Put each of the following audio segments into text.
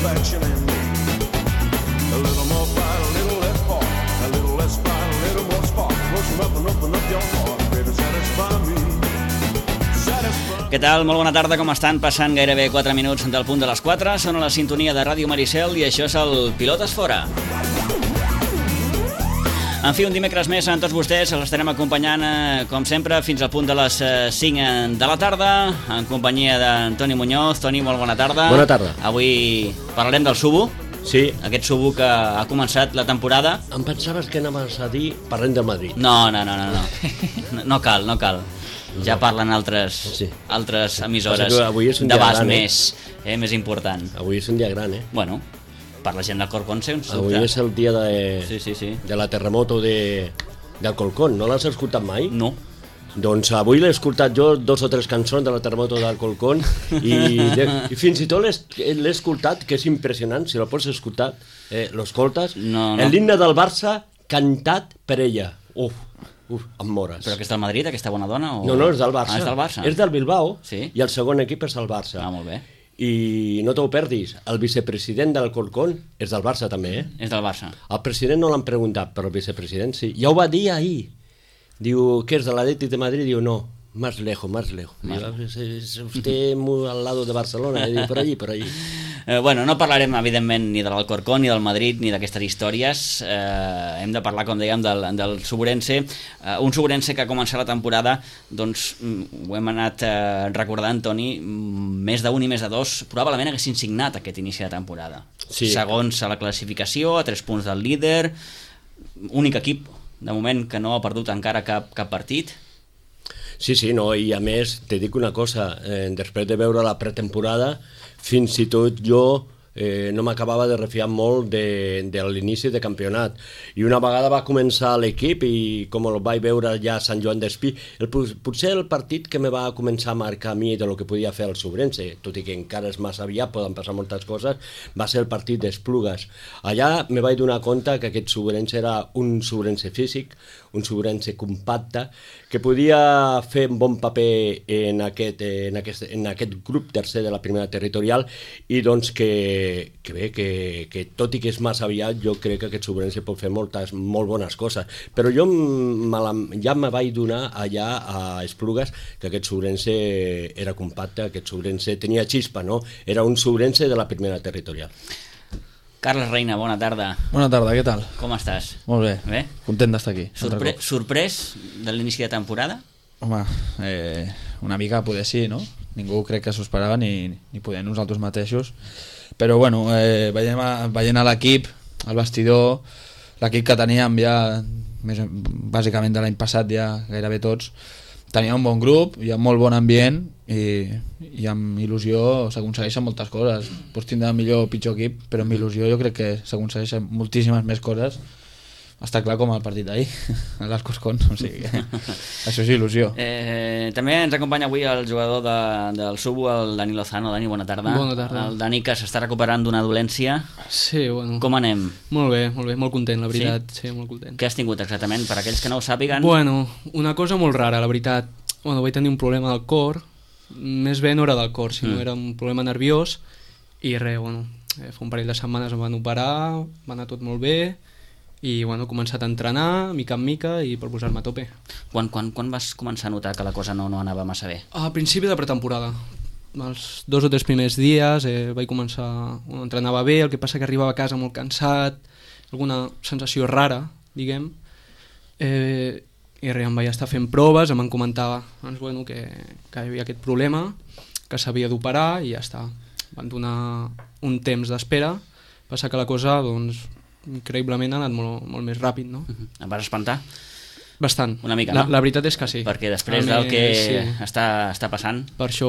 reflection in me. A little more pride, a little less part, a little less pride, a little more spark. Close up and open up your heart, baby, satisfy me. Què tal? Molt bona tarda, com estan? Passant gairebé 4 minuts del punt de les 4. Són a la sintonia de Ràdio Maricel i això és el Pilotes Fora. En fi, un dimecres més amb tots vostès. Els estarem acompanyant, com sempre, fins al punt de les 5 de la tarda, en companyia d'en Toni Muñoz. Toni, molt bona tarda. Bona tarda. Avui parlarem del Subu. Sí. Aquest Subu que ha començat la temporada. Em pensaves que anaves a dir parlem del Madrid. No. No cal. Ja parlen altres emissores d'abast més important. Avui és un dia gran, Bueno, per la gent del Corcón, sense dubte. Avui és el dia Sí. de la terremoto del Colcón. No l'has escoltat mai? No. Doncs avui l'he escoltat jo 2 o 3 cançons de la terremoto del Colcón i fins i tot l'he escoltat, que és impressionant, si la pots escoltar, l'escoltes. No. L'himne del Barça cantat per ella. Em mores. Però que és del Madrid, aquesta bona dona? O... No, és del Barça. És del Barça. És del Bilbao, sí? I el segon equip és el Barça. Molt bé. I no t'ho perdis, el vicepresident del Colcón és del Barça també, És del Barça. El president no l'han preguntat, però el vicepresident sí. Ja ho va dir ahir. Diu, ¿qué es de l'Atlètic de Madrid? Diu, no, más lejos. Diu, es usted muy al lado de Barcelona. Diu, por allí. Bueno, no parlarem, evidentment, ni de l'Alcorcón, ni del Madrid, ni d'aquestes històries. Hem de parlar, com dèiem, del Suburense. Un Suburense que ha començat la temporada, doncs, ho hem anat recordant, Toni, més d'un i més de 2, probablement haguessin signat aquest inici de temporada. Sí. Segons a la classificació, a 3 punts del líder, únic equip, de moment, que no ha perdut encara cap partit. Sí, no, i a més, te dic una cosa, després de veure la pretemporada, fins i tot jo no m'acabava de refiar molt de l'inici de campionat. I una vegada va començar l'equip i com el vaig veure ja a Sant Joan d'Espí, potser el partit que me va començar a marcar a mi de lo que podia fer el Subrense, tot i que encara és massa aviat, poden passar moltes coses, va ser el partit d'Esplugues. Allà me vaig donar compte que aquest Subrense era un Subrense físic, un Subrense compacte, que podia fer un bon paper en aquest grup tercer de la primera territorial i doncs que tot i que és massa aviat, jo crec que aquest Subrense pot fer molt bones coses. Però jo ja me vaig donar allà a Esplugues que aquest Subrense era compacte, aquest Subrense tenia xispa, no? Era un Subrense de la primera territorial. Carles Reina, bona tarda. Bona tarda, què tal? Com estàs? Molt bé, Bé? Content d'estar aquí. Sorprès de l'inici de temporada? Home, una mica poder sí, no? Ningú crec que s'ho esperava, ni poder nosaltres mateixos. Però bueno, veient a l'equip, el vestidor, l'equip que teníem ja, bàsicament de l'any passat ja gairebé tots, tenia un bon grup, hi ha molt bon ambient i amb il·lusió s'aconsegueixen moltes coses. Pots tindre millor o pitjor equip, però amb il·lusió jo crec que s'aconsegueixen moltíssimes més coses. Està clar com el partit d'ahir, a l'Alcorcón, o sigui que això és il·lusió. També ens acompanya avui el jugador del Subu, el Dani Lozano. Dani, bona tarda. Bona tarda. El Dani que s'està recuperant d'una dolència. Sí, bueno. Com anem? Molt bé, molt content, la veritat. Sí, molt content. Què has tingut exactament, per aquells que no ho sàpiguen? Bueno, una cosa molt rara, la veritat. Bueno, vaig tenir un problema del cor, més bé no era del cor, sinó era un problema nerviós, i res, bueno, fa un parell de setmanes em van operar, va anar tot molt bé, i bueno, he començat a entrenar mica en mica i per posar-me a tope. Quan vas començar a notar que la cosa no anava massa bé? A principi de pretemporada, els 2 o 3 primers dies vaig començar, entrenava bé, el que passa que arribava a casa molt cansat, alguna sensació rara, diguem, i res, em vaig estar fent proves, em van comentar doncs, bueno, que hi havia aquest problema, que s'havia d'operar i ja està. Van donar un temps d'espera, passa que la cosa, doncs, increïblement ha anat molt més ràpid, no? Em vas espantar? Bastant. Una mica, no? La veritat és que sí. Perquè després del que està passant... Per això.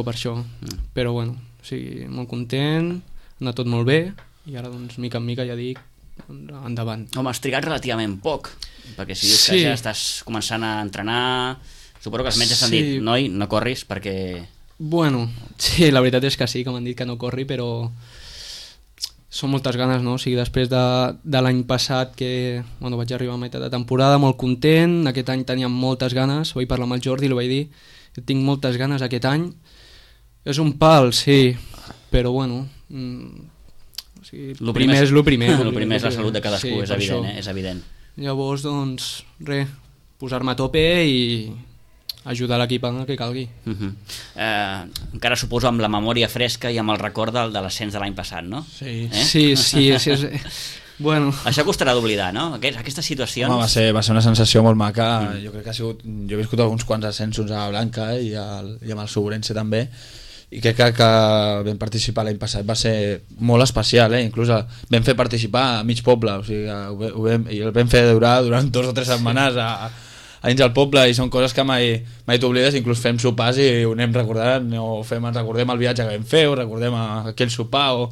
Però bueno, o sigui, molt content, ha anat tot molt bé, i ara, doncs, mica en mica, ja dic, endavant. Home, has trigat relativament poc, perquè si dius que ja estàs començant a entrenar, suposo que els metges t'han dit, noi, no corris perquè... Bueno, sí, la veritat és que sí, que m'han dit que no corri, però són moltes ganes, no? O sigui, després de l'any passat que bueno, vaig arribar a meitat de temporada molt content, aquest any tenia moltes ganes, vaig parlar amb el Jordi i li vaig dir que tinc moltes ganes aquest any, és un pal, sí, però bueno, O sigui, Lo primer és el primer. El primer és la salut de cadascú, és per evident, això. és evident. Llavors, doncs, res, posar-me a tope i ajudar l'equip en el que calgui. Encara suposo amb la memòria fresca i amb el record de l'ascens de l'any passat, no? Sí. Sí. Bueno, Això costarà d'oblidar, no? Aquestes situacions... Home, va ser una sensació molt maca. Jo crec que ha sigut... Jo he viscut alguns quants ascensos a Blanca i amb el Sobrense també, i crec que vam participar l'any passat va ser molt especial, inclús vam fer participar a mig poble, o sigui, i el vam fer durar durant 2 o 3 setmanes a dins del poble, i són coses que mai t'oblides. Inclús fem sopars i ho anem recordant, o recordem el viatge que vam fer, o recordem aquell sopar, o...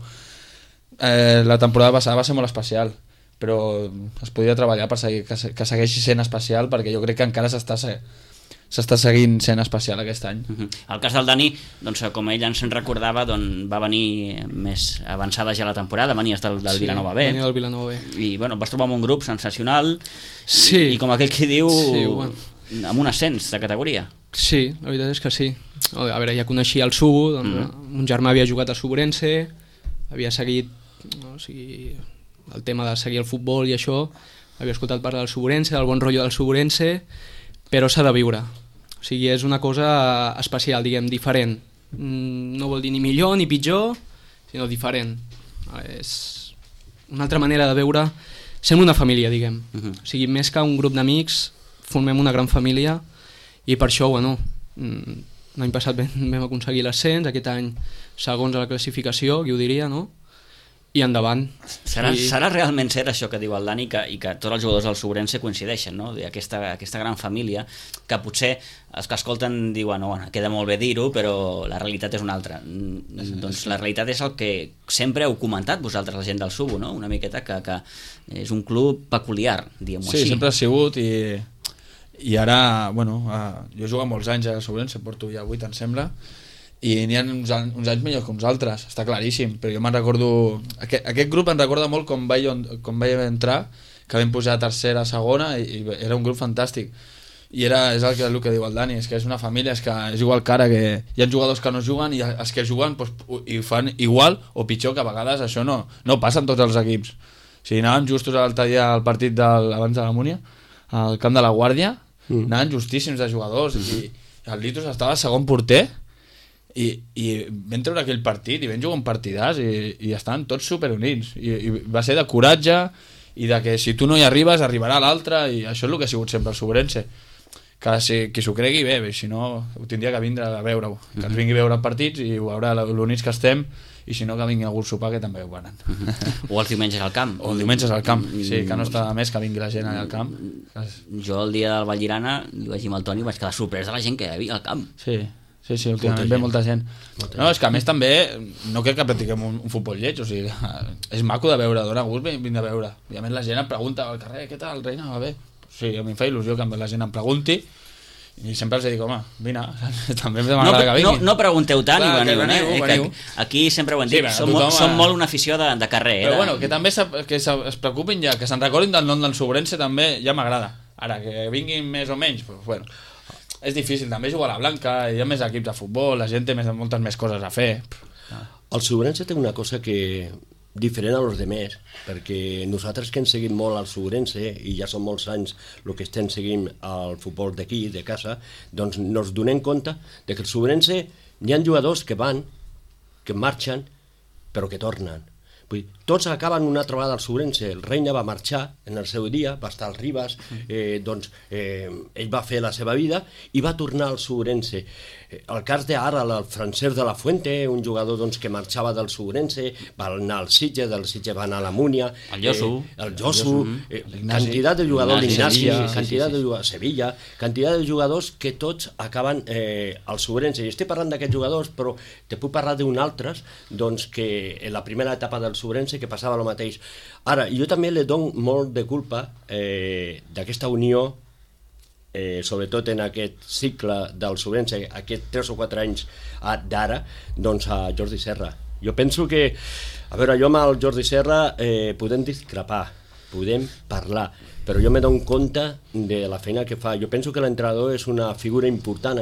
la temporada passada va ser molt especial, però es podia treballar per que segueixi sent especial, perquè jo crec que encara s'està seguint sent especial aquest any. El cas del Dani, doncs, com ell ens en recordava, doncs, va venir més avançada ja la temporada, venies del Vilanova B. Venia del Vilanova B. I bueno, vas trobar un grup sensacional, Sí. i com aquell que diu, Sí, bueno. amb un ascens de categoria. Sí, la veritat és que sí. A veure, ja coneixia el Subo, doncs, un germà havia jugat al Suborense, havia seguit, o sigui, el tema de seguir el futbol i això, havia escoltat parlar del Suborense, del bon rotllo del Suborense, però s'ha de viure. O sigui, és una cosa especial, diguem, diferent. No vol dir ni millor ni pitjor, sinó diferent. És una altra manera de veure... Sem una família, diguem. O sigui, més que un grup d'amics, formem una gran família, i per això, bueno, l'any passat vam aconseguir l'ascens, aquest any segons a la classificació, qui ho diria, no? I endavant. Serà realment cert això que diu el Dani, i que tots els jugadors del Sobrense coincideixen, no? Aquesta gran família, que potser els que escolten diuen, no, queda molt bé dir-ho, però la realitat és una altra. Doncs la realitat és el que sempre heu comentat vosaltres, la gent del Subo, no? Una miqueta que és un club peculiar, diguem-ho així. Sí, sempre ha sigut, i ara, bueno, jo he jugat molts anys a Sobrense, porto ja 8, em sembla, i n'hi ha uns anys millors que uns altres, està claríssim, però jo me'n recordo... Aquest grup em recorda molt com vaig entrar, que vam pujar a tercera, segona, i era un grup fantàstic. I és el que diu el Dani, és que és una família, és que és igual que ara, que hi ha jugadors que no juguen, i els que juguen doncs, ho fan igual o pitjor, que a vegades això no passa en tots els equips. O sigui, anàvem justos l'altre dia al partit abans de la Múnia, al camp de la Guàrdia, anaven justíssims de jugadors, i el Litos estava segon porter, i vam treure aquell partit i vam jugar un partidàs i estaven tots superunits, i va ser de coratge i de que si tu no hi arribes arribarà l'altre, i això és el que ha sigut sempre el Sobrense, que qui s'ho cregui bé, si no ho tindria que vindre a veure-ho, que ens vingui a veure partits i ho veurà l'units que estem, i si no que vingui algú a sopar, que també ho venen. O els diumenges al camp. O els diumenges al camp, sí, que no està de més que vingui la gent allà al camp. Jo el dia del Vallirana, li vaig dir amb el Toni, vaig quedar sorprès de la gent que hi havia al camp. Sí, últimament ve molta gent. No, és que a més també no crec que practiquem un futbol lleig, o sigui, és maco de veure, dona gust vindre a veure. I a més la gent em pregunta al carrer, què tal, reina, va bé? Sí, a mi em fa il·lusió que la gent em pregunti, i sempre els dic, home, vine, també m'agrada que vingui. No pregunteu tant i veniu, veniu. Aquí sempre ho hem dit, som molt una afició de carrer. Però bueno, que també es preocupin ja, que se'n recordin del nom del Sobrense també, ja m'agrada. Ara, que vinguin més o menys, doncs bueno, és difícil també jugar a la Blanca, hi ha més equips de futbol, la gent té moltes més coses a fer. El Sobrense té una cosa que diferent a los demés, perquè nosaltres que hem seguit molt al Sobrense, i ja són molts anys el que estem seguint el futbol d'aquí, de casa, doncs nos donem compte de que el Sobrense hi ha jugadors que van, que marxen, però que tornen. Vull dir, tots acaben una trobada al Sobrense. El Reina va marxar en el seu dia, va estar al Ribas, ell va fer la seva vida i va tornar al Sobrense. El cas d'ara, el Francesc de la Fuente, un jugador doncs, que marxava del Sobrense, va anar al Sitge, del Sitge va anar a la Múnia, el Josu, quantitat de jugadors, l'Ignasi, quantitat de jugadors, Sevilla, quantitat de jugadors que tots acaben al Sobrense. I estic parlant d'aquests jugadors, però te puc parlar d'un altres, doncs, que en la primera etapa del Sobrense que passava el mateix. Ara, jo també li dono molt de culpa d'aquesta unió, sobretot en aquest cicle del Sobrense, aquests 3 o 4 anys d'ara, doncs a Jordi Serra. Jo penso que, a veure, jo amb el Jordi Serra podem discrepar, podem parlar, però jo me dono compte de la feina que fa. Jo penso que l'entrenador és una figura important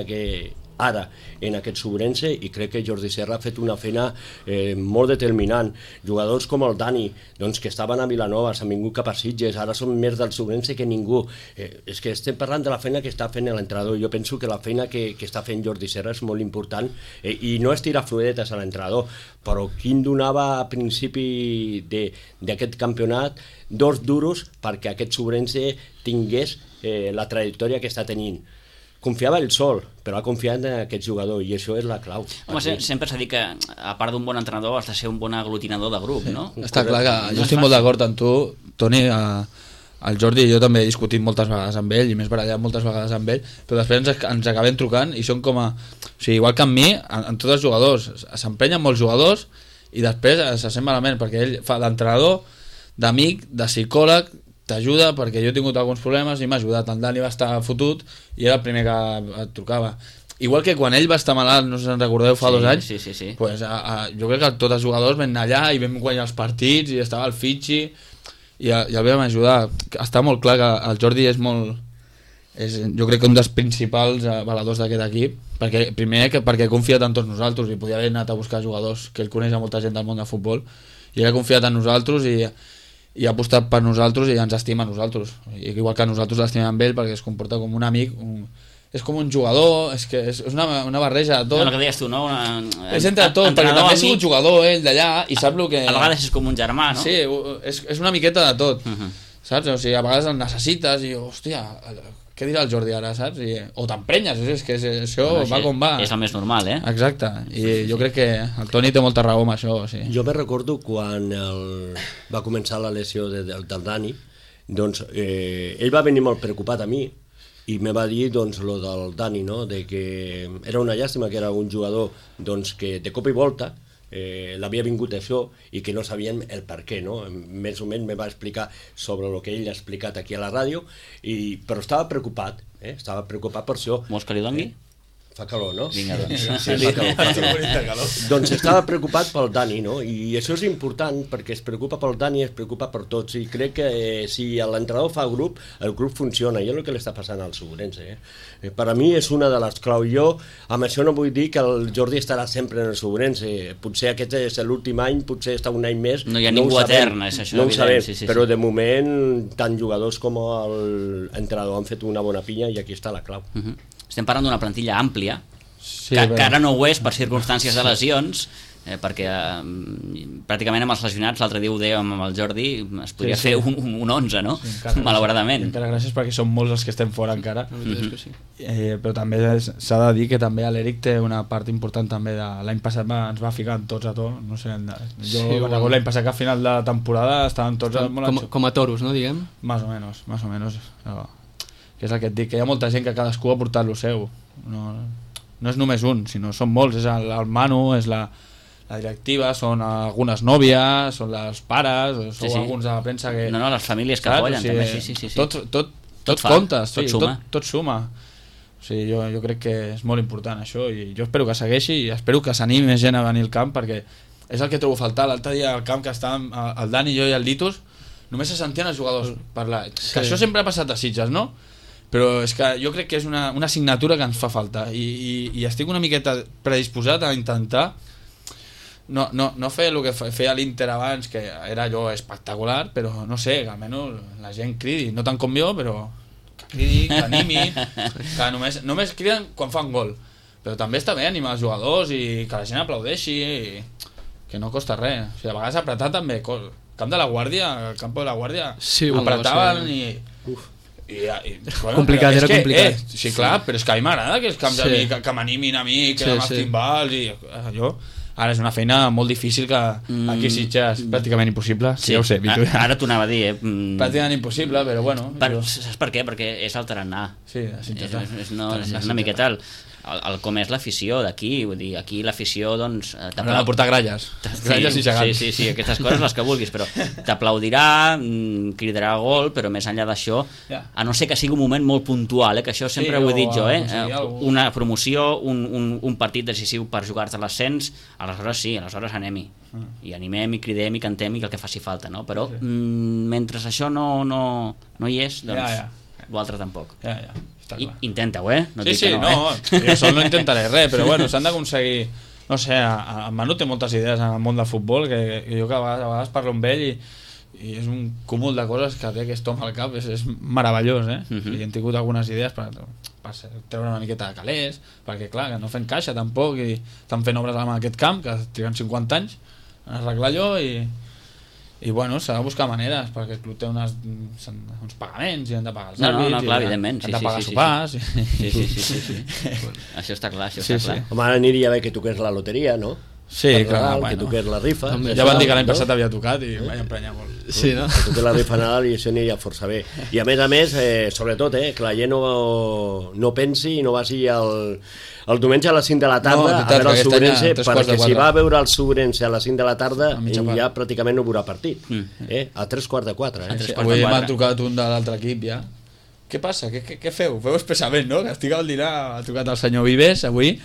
ara en aquest Sobrense, i crec que Jordi Serra ha fet una feina molt determinant. Jugadors com el Dani, doncs, que estaven a Vilanova, s'han vingut cap a Sitges, ara són més del Sobrense que ningú. És que estem parlant de la feina que està fent l'entrenador. Jo penso que la feina que està fent Jordi Serra és molt important, i no és tirar floretes a l'entrenador, però quin donava a principi d'aquest campionat 2 duros perquè aquest Sobrense tingués la trajectòria que està tenint. Confiava ell sol, però ha confiat en aquest jugador, i això és la clau. Home, sempre s'ha dit que, a part d'un bon entrenador, has de ser un bon aglutinador de grup, no? Està clar que jo estic molt d'acord amb tu, Toni. El Jordi i jo també he discutit moltes vegades amb ell, i més barallat moltes vegades amb ell, però després ens acabem trucant i són com a... O sigui, igual que amb mi, en tots els jugadors, s'empenyen molts jugadors i després se sent malament, perquè ell fa d'entrenador, d'amic, de psicòleg, t'ajuda, perquè jo he tingut alguns problemes i m'ha ajudat. El Dani va estar fotut i era el primer que et trucava. Igual que quan ell va estar malalt, no sé si en recordeu, fa 2 anys, sí. Pues, jo crec que tots els jugadors vam anar allà i vam guanyar els partits i estava el Fitxi i el vam ajudar. Està molt clar que el Jordi és molt... jo crec que un dels principals valedors d'aquest equip, perquè ha confiat en tots nosaltres, i podia haver anat a buscar jugadors, que ell coneix a molta gent del món de futbol, i ell ha confiat en nosaltres i ha apostat per nosaltres i ens estima a nosaltres, igual que nosaltres l'estimem ell, perquè es comporta com un amic, és com un jugador, és que és una barreja de tot. El que deies tu, no? És entre tot, perquè també ha sigut jugador ell d'allà i sap el que... A vegades és com un germà, no? Sí, és una miqueta de tot, saps? O sigui, a vegades el necessites i, hòstia, què dirà el Jordi ara, saps? O t'emprenyes, és que això va com va. És el més normal, Exacte, i jo crec que el Toni té molta raó amb això. Sí. Jo me recordo quan va començar la lesió del Dani, doncs ell va venir molt preocupat a mi i me va dir doncs lo del Dani, no? De que era una llàstima que era un jugador doncs, que de cop i volta l'havia vingut això i que no sabien el per què, no? Més o menys me va explicar sobre el que ell ha explicat aquí a la ràdio, però estava preocupat, estava preocupat per això. Vols que li doni? Fa calor, no? Vinga, doncs. Sí, fa calor. Doncs estava preocupat pel Dani, no? I això és important perquè es preocupa pel Dani, es preocupa per tots, i crec que si l'entrenador fa grup, el grup funciona, i és el que li està passant al Sobrense. Per a mi és una de les claus. Jo amb això no vull dir que el Jordi estarà sempre en el Sobrense, potser aquest és l'últim any, potser està un any més, no hi ha ningú etern, és això, no ho sabem, sí. però de moment tant jugadors com l'entrenador han fet una bona pinya, i aquí està la clau. Estem parlant d'una plantilla àmplia, Sí, que ara no ho és per circumstàncies de lesions, perquè pràcticament amb els lesionats, l'altre dia ho dèiem amb el Jordi, es podria fer un 11, no? Sí, malauradament. Encara gràcies, perquè som molts els que estem fora encara. Sí. Però també s'ha de dir que també l'Eric té una part important també. L'any passat ens va ficar tots a tot, no sé, l'any passat que a final de temporada estaven tots com a toros, no, diguem? Más o menos, però, que és el que et dic, que hi ha molta gent que cadascú ha portat lo seu, no és només un, sinó són molts, és el Manu, és la directiva, són algunes nòvies, són els pares, sou alguns de la premsa que... No, les famílies que apoyen, també, sí. Tot compta, tot suma. O sigui, jo crec que és molt important això, i jo espero que segueixi, i espero que s'animi més gent a venir al camp, perquè és el que trobo a faltar. L'altre dia al camp que estàvem el Dani, jo i el Litus, només se sentien els jugadors parlar, que això sempre ha passat a Sitges, no? Però és que jo crec que és una assignatura que ens fa falta, i estic una miqueta predisposat a intentar no fer el que feia l'Inter abans, que era allò espectacular, però no sé, que almenys la gent cridi, no tant com jo, però que cridi, que animi, que només criden quan fan gol, però també està bé animar els jugadors i que la gent aplaudeixi, que no costa res. O sigui, a vegades apretar també, el camp de la Guàrdia, el camp de la Guàrdia, apretaven i bueno, complicat, era complicat. Sí, clar, però és que a mi m'agrada que els camps de mi, que m'animin a mi, que amb els timbals, i allò. Ara és una feina molt difícil, que aquí a Sitges és pràcticament impossible. Sí, ja ho sé, ara t'ho anava a dir, pràcticament impossible, però bueno. Saps per què? Perquè és el tarannà. Sí, és una miqueta com és l'afició d'aquí, vull dir, aquí l'afició, doncs... Haurà de portar gralles i gegants. Sí, aquestes coses, les que vulguis, però t'aplaudirà, cridarà gol, però més enllà d'això, a no ser que sigui un moment molt puntual, que això sempre ho he dit jo, una promoció, un partit decisiu per jugar-te l'ascens, aleshores sí, aleshores anem-hi, i animem, i cridem, i cantem, i el que faci falta, no? Però mentre això no hi és, doncs... l'altre tampoc. Ja, està clar. Intenta-ho, no Sí, dic sí, que no, jo sol no intentaré res, però bueno, s'han d'aconseguir, no sé, en Manu té moltes idees en el món del futbol, que jo que a vegades parlo amb ell i és un cúmul de coses que té aquest home al cap, és meravellós, i hem tingut algunes idees per treure una miqueta de calés, perquè clar, que no fem caixa tampoc, i estan fent obres en aquest camp, que triguen 50 anys en arreglar allò, i bueno, s'ha de buscar maneres perquè el club té uns pagaments i han de pagar els àrbits, clar, evidentment, han de pagar sopars sí. Això està clar, clar. Home, ara aniria bé que toqués la loteria, no? Sí, clar, que toqués la rifa. Ja van dir que l'any passat havia tocat i vaig emprenyar molt. Sí, no? Que toqués la rifa Nadal i això aniria força bé. I a més, sobretot, que la gent no pensi i no vagi el diumenge a les 5 de la tarda a veure el Subrense, perquè si va a veure el Subrense a les 5 de la tarda ja pràcticament no veurà partit. A 3:45. Avui m'ha trucat un de l'altre equip ja. Què passa? Què feu? Feu expressament, no? Que estic al dinar, ha trucat el senyor Vives avui,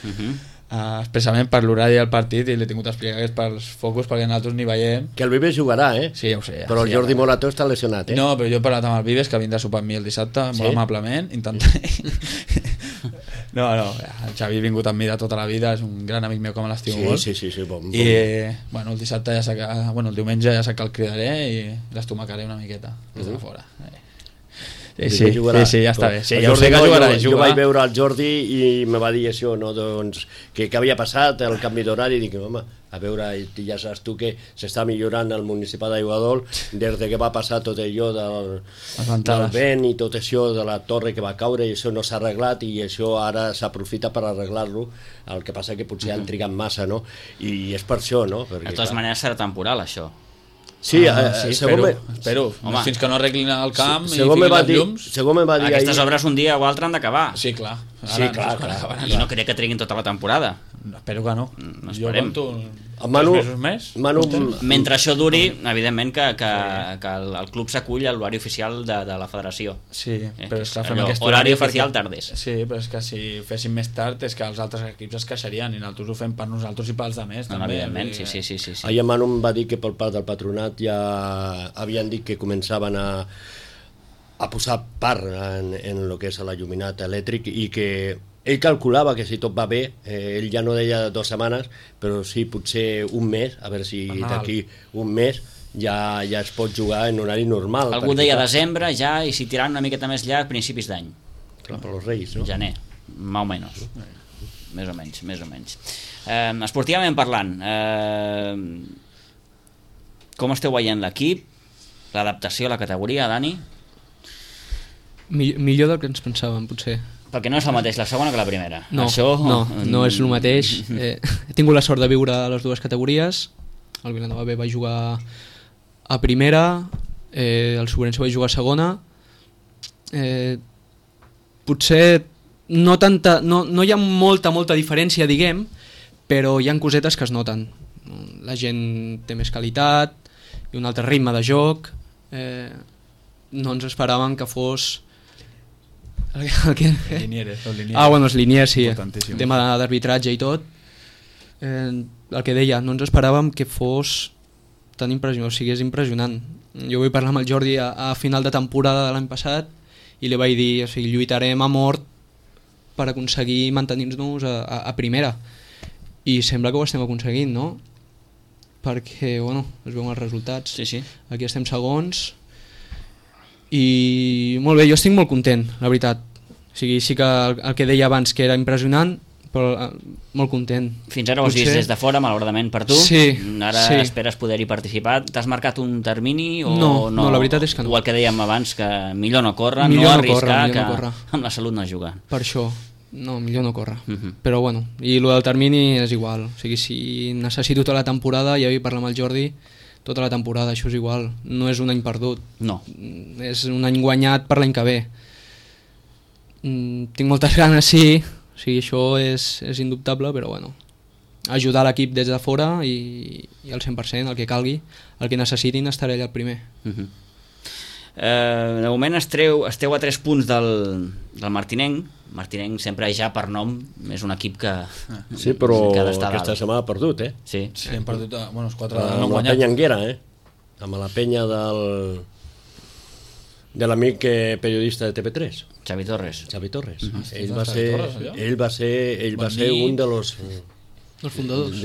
expressament per l'horari del partit, i l'he tingut a explicar que és pels focus, perquè nosaltres n'hi veiem. Que el Vives jugarà, Sí, ja ho sé. Però el Jordi Morató està lesionat, No, però jo he parlat amb el Vives, que vindrà a sopar amb mi el dissabte, molt amablement, intentaré. No, el Xavi ha vingut amb mi de tota la vida, és un gran amic meu que me l'estimo molt. Sí, bon. I, bueno, el dissabte el diumenge ja sé que el cridaré i l'estomacaré una miqueta des de fora. Sí, ja està bé. Sí, ja ho sé que jugarà. Jo vaig veure el Jordi i me va dir això, no? Doncs, que havia passat el canvi d'horari, i dic, home, a veure, ja saps tu que s'està millorant el municipal d'Aiguadol des que va passar tot allò del vent i tot això de la torre que va caure, i això no s'ha arreglat, i això ara s'aprofita per arreglar-lo. El que passa que potser han trigat massa, no? I és per això, no? De totes maneres serà temporal, això. Sí, espero. Fins que no arreglin el camp i fiquin les llums. Aquestes obres un dia o altre han d'acabar. Sí, clar. I no crec que treguin tota la temporada. Espero que no. Jo compto 3 mesos més. Mentre això duri, evidentment que el club s'acull a l'horari oficial de la federació. Sí, però és que fem aquest horari oficial tardés. Sí, però és que si féssim més tard és que els altres equips es queixarien, i nosaltres ho fem per nosaltres i pels altres també. Evidentment, sí. Ahir Manu em va dir que pel part del patronat ja havien dit que començaven a posar part en el que és l'alluminat elèctric, i que ell calculava que si tot va bé, ell ja no deia 2 setmanes, però sí potser un mes, a veure si d'aquí un mes ja es pot jugar en horari normal. Algú deia desembre ja, i si tiraran una miqueta més llarg, principis d'any. Clar, per els Reis, no? Gener, més o menys. Més o menys. Esportivament parlant, com esteu veient l'equip, l'adaptació a la categoria, Dani? Millor del que ens pensàvem, potser. Perquè no és el mateix la segona que la primera. No, no és el mateix. He tingut la sort de viure a les dues categories. El Vilanova B va jugar a primera, el Sobrense va jugar a segona. Potser no hi ha molta diferència, diguem, però hi ha cosetes que es noten. La gent té més qualitat i un altre ritme de joc. No ens esperàvem que fos... els liniers, sí, tema d'arbitratge i tot. El que deia, no ens esperàvem que fos tan impressionant, o sigui, és impressionant. Jo vull parlar amb el Jordi a final de temporada de l'any passat i li vaig dir, o sigui, lluitarem a mort per aconseguir mantenir-nos a primera, i sembla que ho estem aconseguint, no? Perquè, bueno, es veuen els resultats. Sí. Aquí estem segons. I molt bé, jo estic molt content, la veritat. O sigui, sí que el que deia abans que era impressionant, però molt content. Fins ara ho has vist des de fora, malauradament per tu. Sí. Ara esperes poder-hi participar. T'has marcat un termini o no, la veritat és que no. O el que dèiem abans, que millor no córrer, no arriscar, que amb la salut no jugar. Per això, no, millor no córrer. Però bueno, i el del termini és igual. O sigui, si necessito tota la temporada, ja vull parlar amb el Jordi, tota la temporada, això és igual, no és un any perdut, no, és un any guanyat per l'any que ve. Tinc moltes ganes, sí, o sigui, això és indubtable, però bueno, ajudar l'equip des de fora i al 100%, el que calgui, el que necessitin, estaré allà el primer. De moment esteu a 3 punts del Martinenc. Martinenc sempre ja per nom és un equip que sí, però aquesta setmana ha perdut, sí, hem perdut, bueno, els 4 amb la Penya Anguera, amb la Penya De l'amic periodista de TV3, Xavi Torres. Xavi Torres. Ell Torres, va ser un de los... Els fundadors.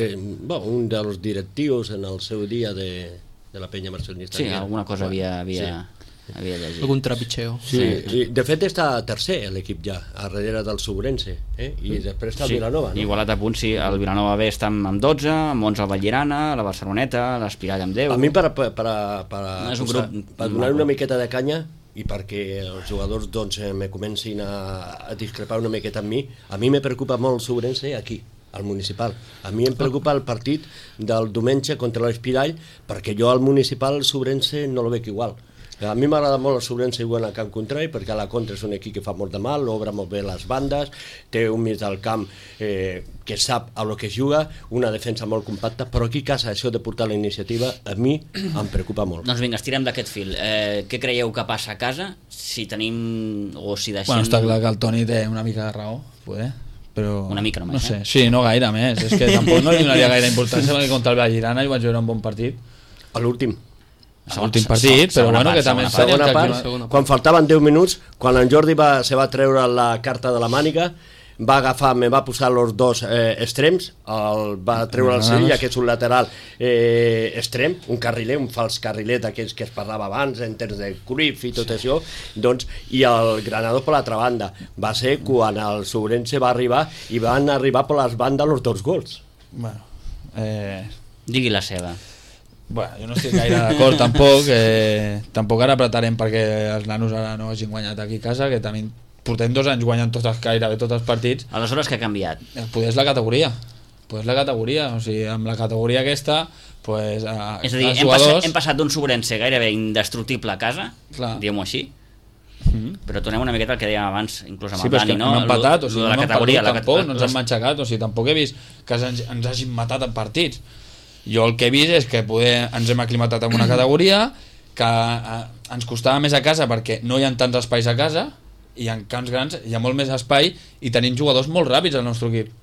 Un dels directius en el seu dia de la penya barcelonista. Sí, alguna cosa havia llegit. Algun trepitxeo. Sí. De fet està tercer l'equip ja, a darrere del Sobrense, i després està el Vilanova, no? Igualat a punt, sí, el Vilanova B està amb 12, amb 11 el Vallirana, la Barceloneta, l'Espirall amb 10. A mi per donar una miqueta de canya i perquè els jugadors doncs, me comencin a discrepar una miqueta amb mi, a mi me preocupa molt el Sobrense aquí, al municipal. A mi em preocupa el partit del diumenge contra l'Espirall, perquè jo al municipal el Sobrense no el veig igual. A mi m'agrada molt el Sobrense jugant al camp contrari, perquè a la contra és un equip que fa molt de mal, obre molt bé les bandes, té un mig del camp que sap a lo que es juga, una defensa molt compacta, però aquí a casa això de portar la iniciativa a mi em preocupa molt. Doncs vinga, estirem d'aquest fil. Què creieu que passa a casa? Si tenim o si deixem... Bueno, està clar que el Toni té una mica de raó, poder, però... Una mica només, no sé. Sí, no gaire més, és que tampoc no li donaria gaire importància perquè contra el Vallirana hi vaig veure un bon partit. A l'últim. L'últim partit, però bueno, que també segona part, quan faltaven 10 minuts, quan en Jordi se va treure la carta de la màniga, me va posar els dos extrems, va treure el Sevilla, que és un lateral extrem, un carriler, un fals carriler d'aquells que es parlava abans, en termes de Cruyff i tot això, doncs, i el Granado per l'altra banda. Va ser quan el Sobrense va arribar i van arribar per les bandes els dos gols. Bueno, Digui la seva. Bueno, jo no estic gaire d'acord tampoc, tampoc ara apretarem perquè els nanos ara no hagin guanyat aquí a casa, que també portem 2 anys guanyant gairebé tots els partits. Aleshores, què ha canviat? Poder és la categoria, o sigui, amb la categoria aquesta, pues, és a dir, hem passat d'un Sobrense gairebé indestructible a casa, diguem-ho així, però tornem una miqueta al que dèiem abans, inclús amb el Dani, no? No hem empatat, o sigui, no hem perdut tampoc, no ens hem matxacat, o sigui, tampoc he vist que ens hagin matat en partits. Jo el que he vist és que ens hem aclimatat en una categoria, que ens costava més a casa perquè no hi ha tants espais a casa, i en camps grans hi ha molt més espai i tenim jugadors molt ràpids al nostre equip,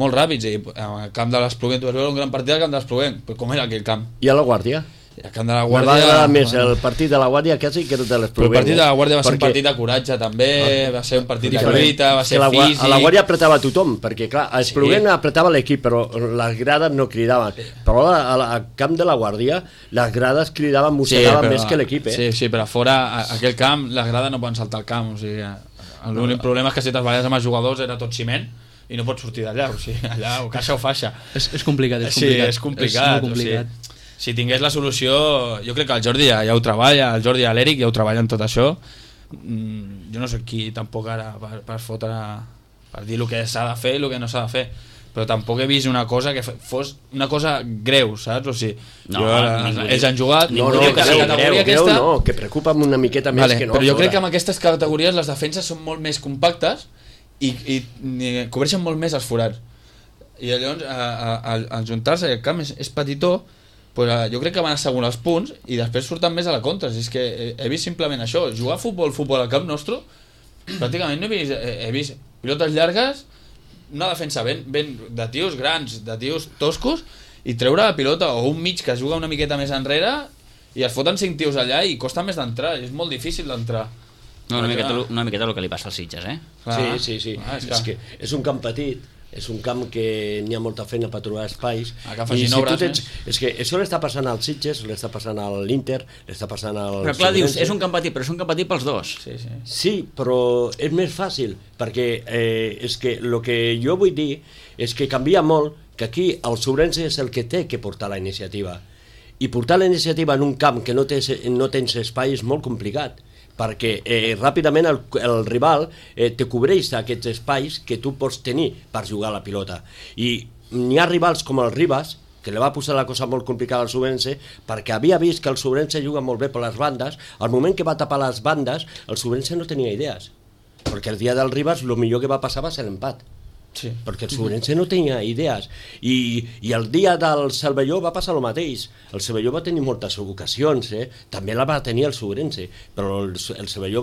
molt ràpids, i al camp de l'Espluguent tu vas veure un gran partit al camp de l'Espluguent, però com era aquell camp? I a la Guàrdia? El camp de la Guàrdia... M'ha agradat més el partit de la Guàrdia quasi que el de l'Espluguent. Però el partit de la Guàrdia va ser un partit de coratge també, va ser un partit de lluita, va ser físic... A la Guàrdia apretava tothom, perquè clar, a Espluguent apretava l'equip, però les grades no cridaven. Però al camp de la Guàrdia les grades cridaven, mossegaven més que l'equip. Sí, però a fora, aquell camp, les grades no poden saltar el camp, o sigui... L'únic problema és que si te'n baralles amb els jugadors era tot ciment i no pots sortir d'allà, o sigui, allà o caixa o faixa. És complicat, és complicat. Sí, és complicat. És complicat. O sigui, si tingués la solució, jo crec que el Jordi ja ho treballa, el Jordi i l'Eric ja ho treballen tot això. Jo no sé qui tampoc ara per fotre, per dir el que s'ha de fer i el que no s'ha de fer, però tampoc he vist una cosa que fos una cosa greu, saps? O sigui, ells han jugat... No, que preocupa una miqueta més que no. Però jo crec que amb aquestes categories les defenses són molt més compactes i cobreixen molt més els forats. I llavors, al juntar-se, el camp és petitó, pues, jo crec que van assegurar els punts i després surten més a la contra. És que he vist simplement això, jugar a futbol al camp nostre, pràcticament no he vist pilotes llargues, una defensa ben de tios grans, de tios toscos, i treure la pilota, o un mig que juga una miqueta més enrere i es foten 5 tios allà i costa més d'entrar, és molt difícil d'entrar. No, una miqueta el que li passa als Sitges, Sí. És que és un camp petit, és un camp que n'hi ha molta feina per trobar espais, i si tu tens... És que això l'està passant als Sitges, l'està passant a l'Inter, l'està passant al... Però clar, dius, és un camp petit, però és un camp petit pels dos. Sí, però és més fàcil, perquè és que el que jo vull dir és que canvia molt, que aquí el Sobrense és el que té que portar la iniciativa, i portar la iniciativa en un camp que no tens espai és molt complicat, perquè ràpidament el rival te cobreix aquests espais que tu pots tenir per jugar a la pilota, i n'hi ha rivals com el Ribas que li va posar la cosa molt complicada al Sobrense perquè havia vist que el Sobrense juga molt bé per les bandes. Al moment que va tapar les bandes el Sobrense no tenia idees, perquè el dia del Ribas el millor que va passar va ser l'empat. Sí. Perquè el Sobrense no tenia idees, i el dia del Cervelló va passar el mateix. El Cervelló va tenir moltes ocasions, també la va tenir el Sobrense, però el Cervelló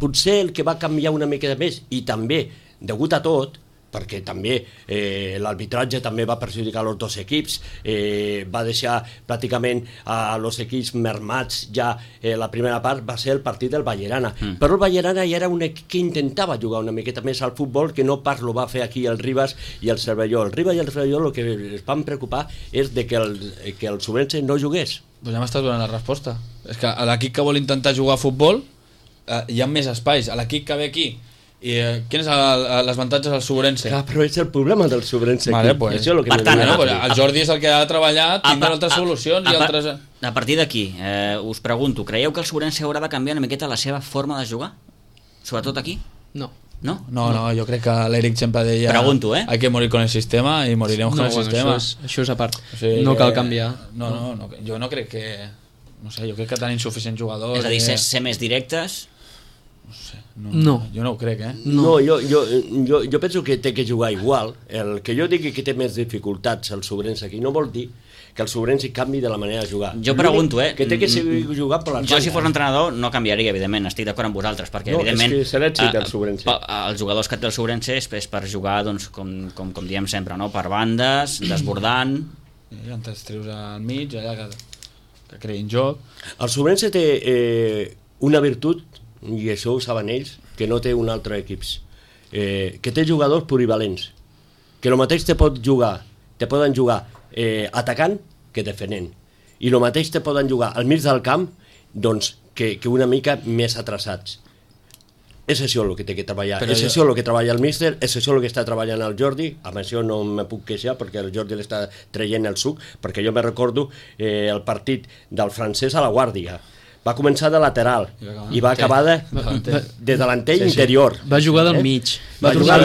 potser el que va canviar una mica més, i també degut a tot, perquè també l'arbitratge també va perjudicar els dos equips, va deixar pràcticament a els equips mermats ja. La primera part va ser el partit del Vallerana, però el Vallerana ja era un equip que intentava jugar una miqueta més al futbol, que no pas lo va fer aquí el Ribas i el Cervelló. El Ribas i el Cervelló el que es van preocupar és de que el Sobrense no jugués. Doncs ja m'estàs donant la resposta. És que a l'equip que vol intentar jugar a futbol hi ha més espais. A l'equip que ve aquí, i quin és les avantatges del Sobrense? Clar, però és el problema del Sobrense vale, aquí. Pues, això és el que per tant, el Jordi és el que ha de treballar, tindrà altres solucions i altres... A partir d'aquí, us pregunto, creieu que el Sobrense haurà de canviar una miqueta la seva forma de jugar? Sobretot aquí? No. No? No, jo crec que l'Eric sempre deia Pregunto, hay que morir con el sistema y moriremos con el sistema. Això és a part. O sigui no que... cal canviar. No, jo no crec que... No sé, jo crec que tenen insuficients jugadors. És a dir, ser més directes... No sé, No. Jo no ho crec, No, jo penso que té que jugar igual. El que jo digui que té més dificultats el Sobrense aquí no vol dir que el Sobrense canvi de la manera de jugar. Jo pregunto, que té que seguir jugant per les Jo, si fos bandes. entrenador, no canviaria, evidentment, estic d'acord amb vosaltres, perquè, No, evidentment... és que és l'èxit del Sobrense. Els jugadors que té el Sobrense és per jugar, doncs, com diem sempre, no? Per bandes, desbordant... I antes treus al mig, allà que creïn joc. El Sobrense té una virtut, i això ho saben ells, que no té un altre equip, que té jugadors polivalents, que el mateix te poden jugar atacant que defenent, i el mateix te poden jugar al mig del camp, doncs, que una mica més atrasats. És això el que té que treballar, és això el que treballa el míster, és això el que està treballant el Jordi. Amb això no me puc queixar perquè el Jordi l'està traient el suc, perquè jo me recordo el partit del francès a la Guàrdia. Va començar de lateral i va acabar de delanter interior. Va jugar del mig. Va tornar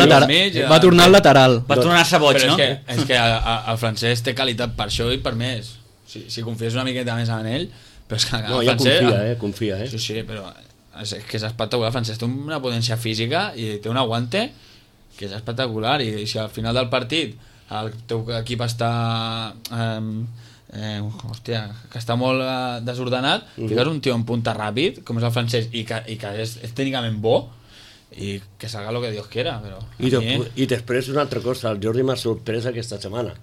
al lateral. Va tornar-se boig, però no? És que el francès té qualitat per això i per més. Si confies una miqueta més en ell, però és que No, el ja francès... confia. Sí, però és que és espectacular. El francès té una potència física i té un aguante que és espectacular, i si al final del partit el teu equip està... hòstia, que està molt desordenat, fiques un tio en punta ràpid com és el francès i que és tècnicament bo i que salga lo que Dios quiera, però I després una altra cosa, el Jordi m'ha sorprès aquesta setmana,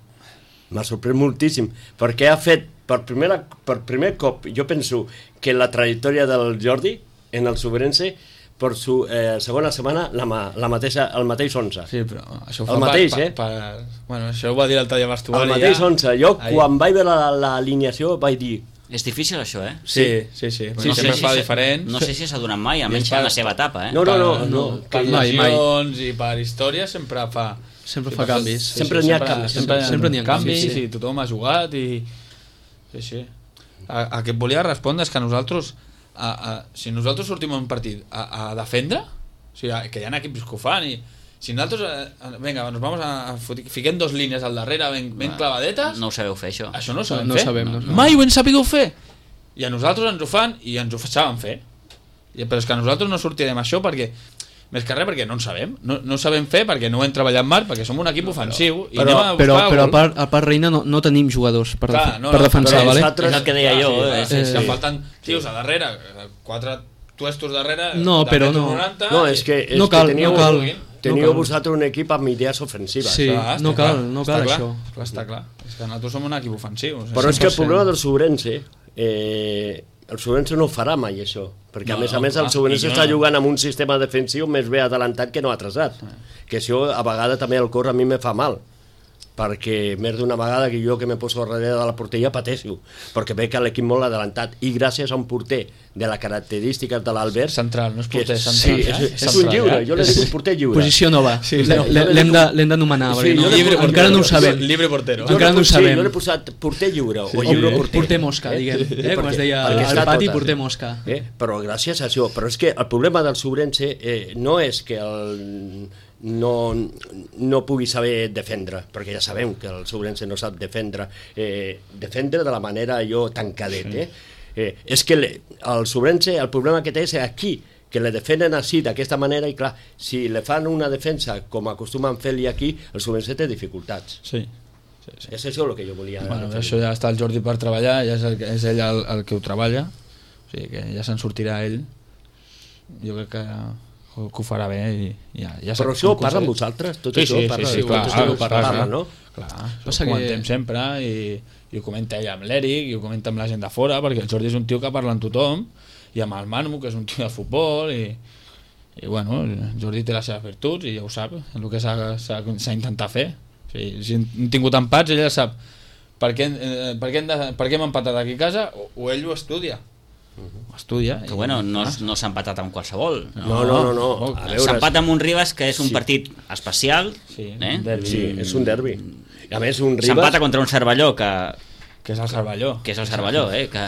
m'ha sorprès moltíssim, perquè ha fet per primer cop, jo penso que la trajectòria del Jordi en el Sobrense per su segona setmana el mateix 11. sí, però això ho El fa mateix, bueno, això ho va dir l'altre dia a vestuari. El mateix 11. Jo, quan vaig veure l'alineació, vaig dir... És difícil, això, eh? Sí. Sempre fa diferent. No sé si s'ha donat mai, almenys en la seva etapa, eh? No. Per Mai. lesions i per història sempre fa canvis. Sempre n'hi ha canvis. Sempre n'hi ha canvis, canvis, sí. i tothom ha jugat i... Sí. A què et volia respondre és que nosaltres, si nosaltres sortim en un partit a defendre, o sigui, que hi ha equips que ho fan, i si nosaltres, venga, nos vamos fiquem dos línies al darrere ben clavadetes, No ho sabeu fer, això. això no ho sabem No fer. sabem. Mai ho hem sabut fer. I a nosaltres ens ho fan i ens ho saben fer. Però és que nosaltres no sortirem això perquè, més que res, perquè no en sabem. No sabem fer perquè no ho hem treballat mai, perquè som un equip ofensiu. Però al part Reina no tenim jugadors per defensar, però vale? És el que deia jo. És que falten tios a darrere, 4 tuestos darrere, No, però no. 90, No, és que teníeu vosaltres un equip amb idees ofensives. Sí, no cal això. Està clar. És que nosaltres som un equip ofensiu. Però és que el problema del Sobrense, el Sobrense no farà mai això, perquè a més el Sobrense està jugant amb un sistema defensiu més bé adelantat que no atrasat, que això a vegades també el cor a mi me fa mal, perquè més d'una vegada que jo que me poso darrere de la porteria pateixo, perquè veig que l'equip molt adelantat, i gràcies a un porter de les característiques de l'Albert, Central, no és porter, sí, central. és un lliure, jo le dic un porter lliure. Posició nova. Sí, L'hem d'anomenar, Sí, encara no ho sabem. Libre portero. Encara no ho sabem. Jo l'he posat porter lliure, o lliure porter. Porter mosca, diguem. Com es deia perquè està al pati, tot, porter mosca. Però gràcies a això, però és que el problema del Sobrense no és que no pugui saber defendre, perquè ja sabem que el Sobrense no sap defendre de la manera tan cadet, és que el Sobrense, el problema que té és aquí, que le defenen així, d'aquesta manera, i clar, si le fan una defensa com acostumen fer-li aquí, el Sobrense té dificultats. Sí. És això el que jo volia Bueno, referir. això ja està el Jordi per treballar, ja és ell el que ho treballa, o sigui que ja se'n sortirà ell. Jo crec que que ho farà bé i ja Però això ho parla amb vosaltres? Tot Sí, això sí, parla, sí, clar, tot això parla, no? Clar, Passa ho que- comentem sempre i ho comenta ella amb l'Eric i ho comenta amb la gent de fora, perquè el Jordi és un tio que parla amb tothom, i amb el Manu, que és un tio de futbol, i bueno, el Jordi té les seves virtuts i ja ho sap, el que s'ha intentat fer. O sigui, si hem tingut empats, ella sap per què hem empatat aquí a casa, o ell ho estudia. Ho estudia. Que bueno, no s'ha empatat amb qualsevol. No. A veure, S'empat amb un Ribas, que és un Sí. partit especial. Sí, un derbi. Sí, és un derbi. I a més, un S'empata Ribas... contra un Cervelló, que Que és el Cervelló. és el Cervelló, que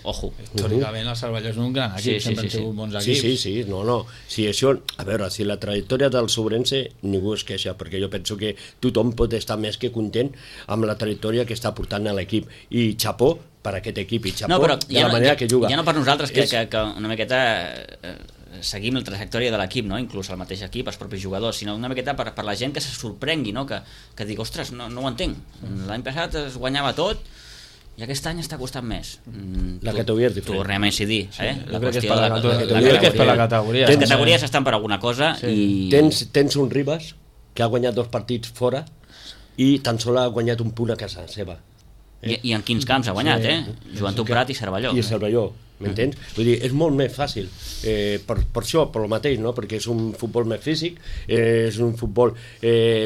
ojo. Històricament el Cervelló és un gran equip, sempre han sigut bons Sí, equips. sí, no. Si això, a veure, si la trajectòria del Sobrense ningú es queixa, perquè jo penso que tothom pot estar més que content amb la trajectòria que està portant a l'equip. I xapó per aquest equip, i xapó No, però de la manera que juga. ja no per nosaltres, que una miqueta seguim la trajectòria de l'equip, no? Inclús el mateix equip, els propis jugadors, sinó una miqueta per la gent que se sorprengui, no? Que digui, ostres, no ho entenc, l'any passat es guanyava tot i aquest any està costant més. La categoria és diferent. Tornem a incidir, Jo la crec que és qüestió per la de categoria. Jo crec que és per la categoria. Les categories estan per alguna cosa i... Tens un Ribas que ha guanyat 2 partits fora i tan sols ha guanyat un punt a casa seva. I en quins camps ha guanyat, Joventut Prat i Cervelló. I Cervelló, m'entens? Vull dir, és molt més fàcil, per això, per el mateix, no? Perquè és un futbol més físic, és un futbol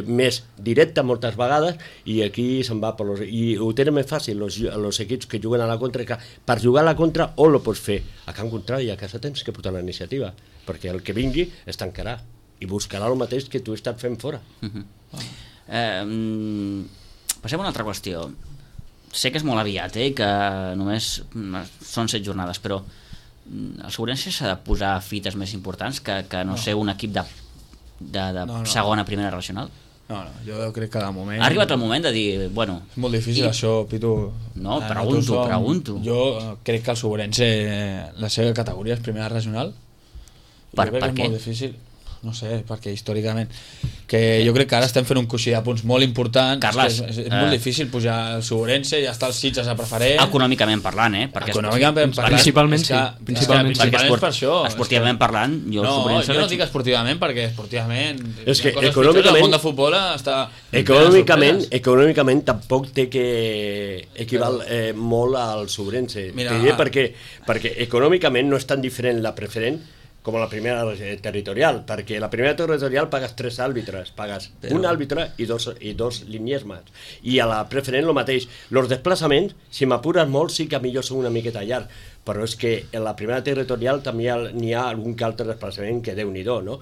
més directe moltes vegades, i aquí se'n va per i ho tenen més fàcil els equips que juguen a la contra, que per jugar a la contra o lo pots fer a camp contrari, a casa tens que portar la iniciativa, perquè el que vingui es tancarà i buscarà el mateix que tu estàs fent fora. Passem a una altra qüestió. Sé que és molt aviat, que només són 7 jornades, però el Sobrense s'ha de posar fites més importants que no ser un equip de segona, primera regional? No, jo crec que de moment... Ha arribat el moment de dir, bueno... És molt difícil això, Pitu. No, pregunto. Jo crec que el Sobrense, la seva categoria és primera regional. Per Jo crec que és què? molt difícil. No sé, perquè històricament jo crec que ara estem fent un coixí de punts molt important. Carles, és molt difícil pujar al Sobrense, ja està el Sitges a preferent. Econòmicament parlant, perquè Econòmicament parlant, Principalment és que- sí, principalment és que perquè és per això. esportivament parlant, jo el No, Sobrense jo no veig- dic esportivament, perquè esportivament És que hi ha coses econòmicament- pitjors, el món de futbol està Econòmicament tampoc té que equival molt al Sobrense. Mira, T'ho diré perquè econòmicament no és tan diferent la preferent com la primera territorial, perquè la primera territorial pagues 3 àrbitres, pagues un àrbitre i dos línies més. I a la preferent el mateix. Els desplaçaments, si m'apures molt, sí que millor són una miqueta llarg, però és que en la primera territorial també n'hi ha algun que altre desplaçament que Déu-n'hi-do, no?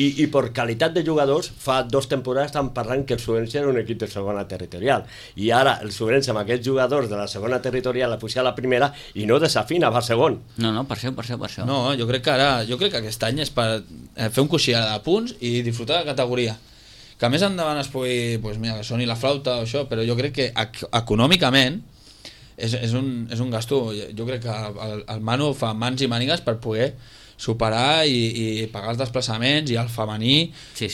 I per qualitat de jugadors, fa 2 temporades estan parlant que el Sobrense era un equip de segona territorial, i ara el Sobrense amb aquests jugadors de la segona territorial la puja a la primera i no desafina, va a segon. No, per això. No, jo crec que aquest any és per fer un coixí de punts i disfrutar de la categoria. Que més endavant es pugui, pues mira, que soni la flauta o això, però jo crec que econòmicament és un gasto. Jo crec que el Manu fa mans i mànigues per poder superar i pagar els desplaçaments i el femení. Sí.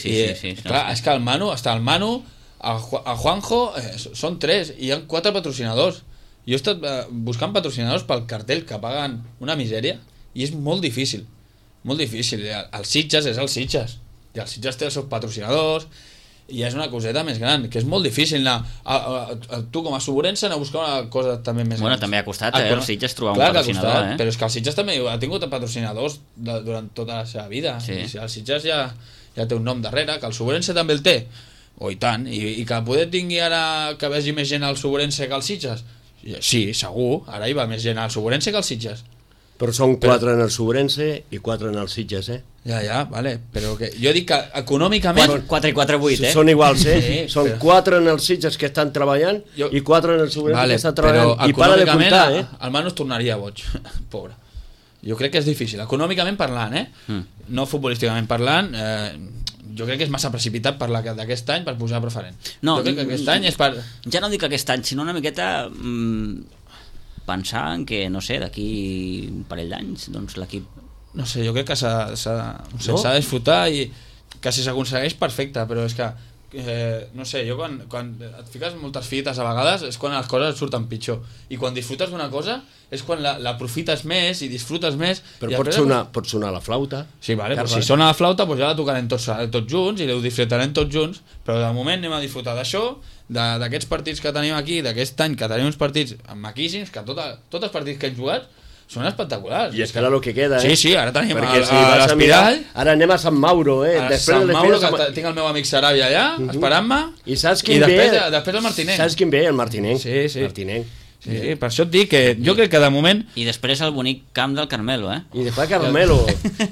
Clar, és que el Manu, el Juanjo, són 3 i hi ha 4 patrocinadors. Jo he estat buscant patrocinadors pel cartell que paguen una misèria i és molt difícil. Molt difícil. El Sitges és el Sitges i el Sitges té els seus patrocinadors i és una coseta més gran, que és molt difícil anar tu com a Sobrense anar a buscar una cosa també més gran. També ha costat el Sitges trobar un Clar que ha patrocinador, costat, però és que el Sitges també ha tingut patrocinadors durant tota la seva vida. Sí. I el Sitges ja té un nom darrere, que el Sobrense també el té, o i tant, i que poder tingui ara que vegi més gent al Sobrense que al Sitges, sí, segur, ara hi va més gent al Sobrense que al Sitges. Però són 4 en el Sobrense i 4 en el Sitges, Ja, vale, però que jo dic que econòmicament 4 i 4, 8, Són iguals, Sí, són 4 en els Sitges que estan treballant i 4 en el Sobrense que estan treballant. I para de comptar, el Manu es tornaria boig, pobre. Jo crec que és difícil, econòmicament parlant, no futbolísticament parlant, jo crec que és massa precipitat per d'aquest any per posar preferent. No, jo crec que aquest any és per... Ja no dic aquest any, sinó una miqueta pensar en que, no sé, d'aquí un parell d'anys, doncs l'equip... No sé, jo crec que s'ha de disfrutar i que si s'aconsegueix perfecte, però és que no sé, jo quan et fiques moltes fites a vegades és quan les coses et surten pitjor, i quan disfrutes d'una cosa és quan l'aprofites més i disfrutes més. Però i pot sonar la flauta. Sí, vale, però Carles. si sona la flauta doncs ja la tocarem tots junts i ho disfrutarem tots junts, però de moment anem a disfrutar d'això, d'aquests partits que tenim aquí, d'aquest any que tenim uns partits maquíssims, que tots els partits que hem jugat són espectaculars. I és que ara el que queda, Sí, ara tenim Perquè a l'Espiral. Ara anem a Sant Mauro, A Sant Mauro, que tinc el meu amic Sarabia allà, esperant-me. I saps quin ve? Després el Martinenc. Saps quin ve? El Martinenc. Sí. Martinenc. Sí, per això et dic que jo crec que de moment I després el bonic camp del Carmelo, I després Carmelo.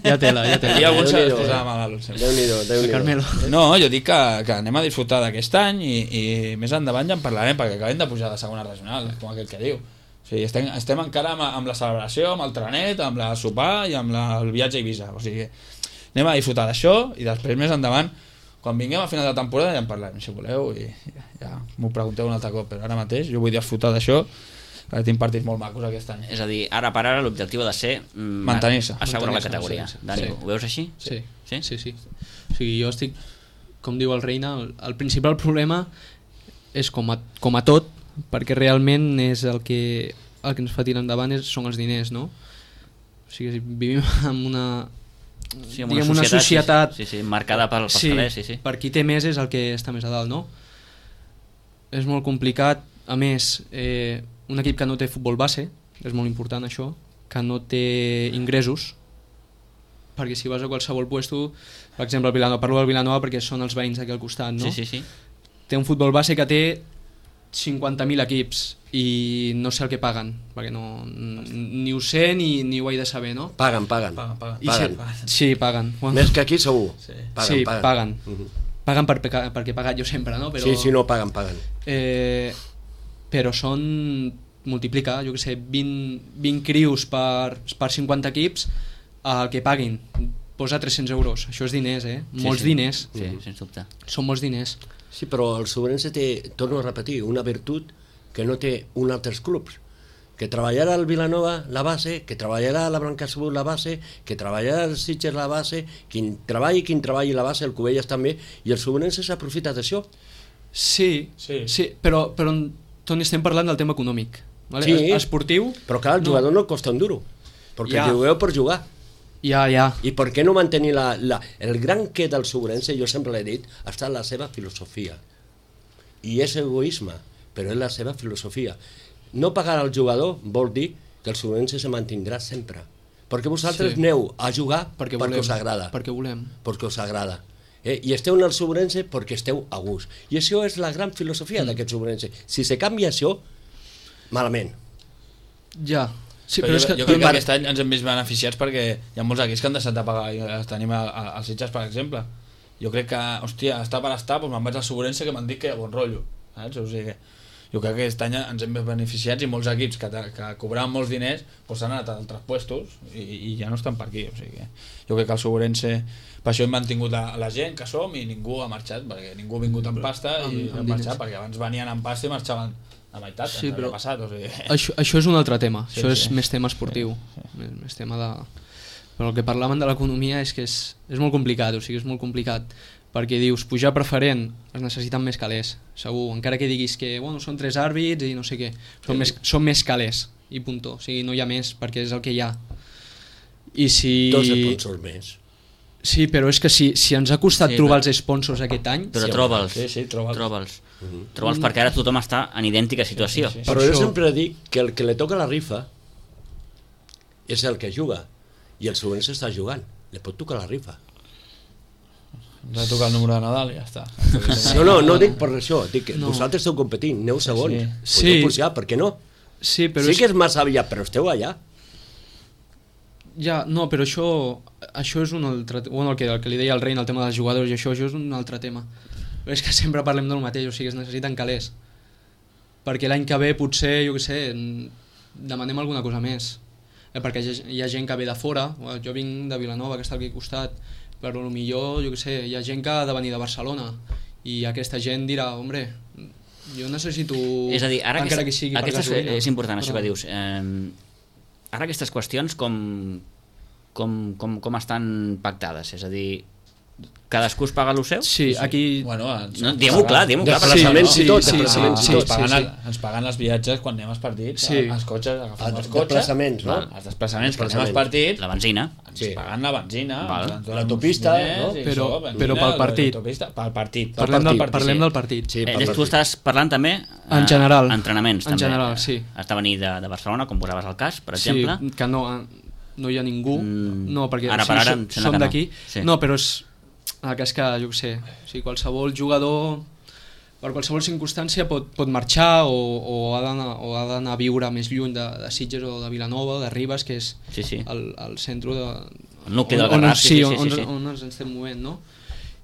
Ja tela. hi ha alguns que es Déu-n'hi-do. posava malalt. sempre. Déu-n'hi-do. Carmelo. No, jo dic que anem a disfrutar d'aquest any i més endavant ja en parlarem, perquè acabem de pujar de segona regional, com aquell que diu. O sigui, estem encara amb la celebració, amb el trenet, amb la sopar i amb el viatge a Eivissa. O sigui, anem a disfrutar d'això i després més endavant, quan vinguem a final de temporada ja en parlarem, si voleu, i ja m'ho pregunteu un altre cop, però ara mateix jo vull disfrutar d'això, perquè tinc partits molt macos aquest any. És a dir, ara per ara l'objectiu ha de ser Mantenir-se. assegurar la Mantenir-se, categoria. sí. Dani, Sí. ho veus així? Sí. Sí? O sigui, jo estic, com diu el Reina, el principal problema és com a tot, perquè realment és el que ens fa tirar endavant són els diners, no? O sigui, vivim en una... Sí, amb diguem, una societat sí, marcada pels calés, sí. per qui té més és el que està més a dalt, no? És molt complicat, a més, un equip que no té futbol base, és molt important això, que no té ingressos, perquè si vas a qualsevol puesto, per exemple, el Vilanova, parlo del Vilanova perquè són els veïns d'aquí al costat, no? Sí. Té un futbol base que té 50.000 equips i no sé el que paguen, perquè ni ho sé ni ho he de saber, no? Paguen. I sí, paguen. Més que aquí segur. Paguen. Paguen perquè he pagat jo sempre, no? Però, Sí, no, paguen. Però són... multiplica, jo que sé, 20 crius per 50 equips, el que paguin posa 300 euros, això és diners, molts diners, Sí, sens dubte. són molts diners. Sí, però el Sobrense té, torno a repetir, una virtut que no té un altres clubs, que treballarà al Vilanova la base, que treballarà a la Blancasabut la base, que treballarà al Sitges la base, quin treballi la base, el Cubelles també, i el Sobrense s'aprofita d'això. Sí, però Toni, estem parlant del tema econòmic, vale? Sí. Esportiu. Però clar, el jugador no costa un duro, perquè jugueu per jugar. Ja. I per què no mantenir el gran que del Sobrense, jo sempre l'he dit, ha estat la seva filosofia. I és egoisme, però és la seva filosofia. No pagar al jugador vol dir que el Sobrense se mantindrà sempre. Perquè vosaltres aneu a jugar perquè us agrada. Perquè volem. Perquè us agrada. I esteu en el Sobrense perquè esteu a gust. I això és la gran filosofia d'aquest Sobrense. Si se canvia això, malament. Ja. Sí, però jo crec que aquest any ens hem vist beneficiats perquè hi ha molts equips que han deixat de pagar i tenim els Sitges, per exemple. Jo crec que, hòstia, està per estar, doncs me'n vaig al Sobrense que m'han dit que hi ha bon rotllo, saps? O sigui, jo crec que aquest any ens hem vist beneficiats i molts equips que cobraven molts diners doncs s'han anat a altres puestos i ja no estan per aquí. O sigui, jo crec que el Sobrense, per això hem mantingut la gent que som i ningú ha marxat, perquè ningú ha vingut amb pasta i han marxat, perquè abans venien amb pasta i marxaven a meitat, sí, però passat, o sigui... això és un altre tema, això és més tema esportiu, més tema de... Però el que parlaven de l'economia és que és molt complicat, o sigui, és molt complicat, perquè dius, pujar preferent es necessiten més calés, segur, encara que diguis que bueno, són 3 àrbits i no sé què, són més calés, i punto, o sigui, no hi ha més, perquè és el que hi ha. I si... 2 sponsors més. Sí, però és que si ens ha costat trobar els sponsors aquest any... Però troba'ls. Sí, troba'ls. Troba'ls perquè ara tothom està en idèntica situació. Sí. Però jo sempre dic que el que li toca la rifa és el que juga, i el Sobrense està jugant, li pot tocar la rifa. Ens ha de tocar el número de Nadal i ja està. No dic per això, dic que vosaltres esteu competint, aneu segons, podeu pujar, per què no? Sí, però sí que és massa aviat, però esteu allà. Ja, no, però això és un altre... Bueno, el que li deia el Reina, el tema dels jugadors i això és un altre tema. Però és que sempre parlem del mateix, o sigui, es necessiten calés. Perquè l'any que ve potser, jo què sé, demanem alguna cosa més. Perquè hi ha gent que ve de fora, jo vinc de Vilanova, que està aquí al costat, però millor, jo què sé, hi ha gent que ha de venir de Barcelona i aquesta gent dirà, hombre, jo necessito... És a dir, ara encara que sigui per gasolina. És important això que dius. Ara aquestes qüestions com estan pactades? És a dir, Cadascú es paga el seu? Sí, aquí... Bueno, No, diguem-ho clar, Desplaçaments i tot, sí, desplaçaments i sí, tot. sí. Ens paguen els viatges quan anem als partits, Sí. els cotxes, agafem els Els cotxes, desplaçaments, no? els desplaçaments quan anem als partits, La benzina. ens Sí. paguen la benzina, Val. ens donen L'autopista, uns diners no? i Però- això, benzina, però pel partit. l'autopista, pel partit. Parlem del partit. Sí, Tu estàs parlant també... En general. Entrenaments, En també. general, sí. Has de venir de Barcelona, com posaves el cas, per exemple. Sí, que no hi ha ningú. No, perquè Ara per ara em sembla som que no. d'aquí. Sí. No, però el cas que, jo què sé, o sigui, qualsevol jugador per qualsevol circumstància pot marxar o ha d'anar a viure més lluny de Sitges o de Vilanova o de Ribes, que és Sí. el centre de... El nucli del on, Garraf, sí. on ens estem movent, no?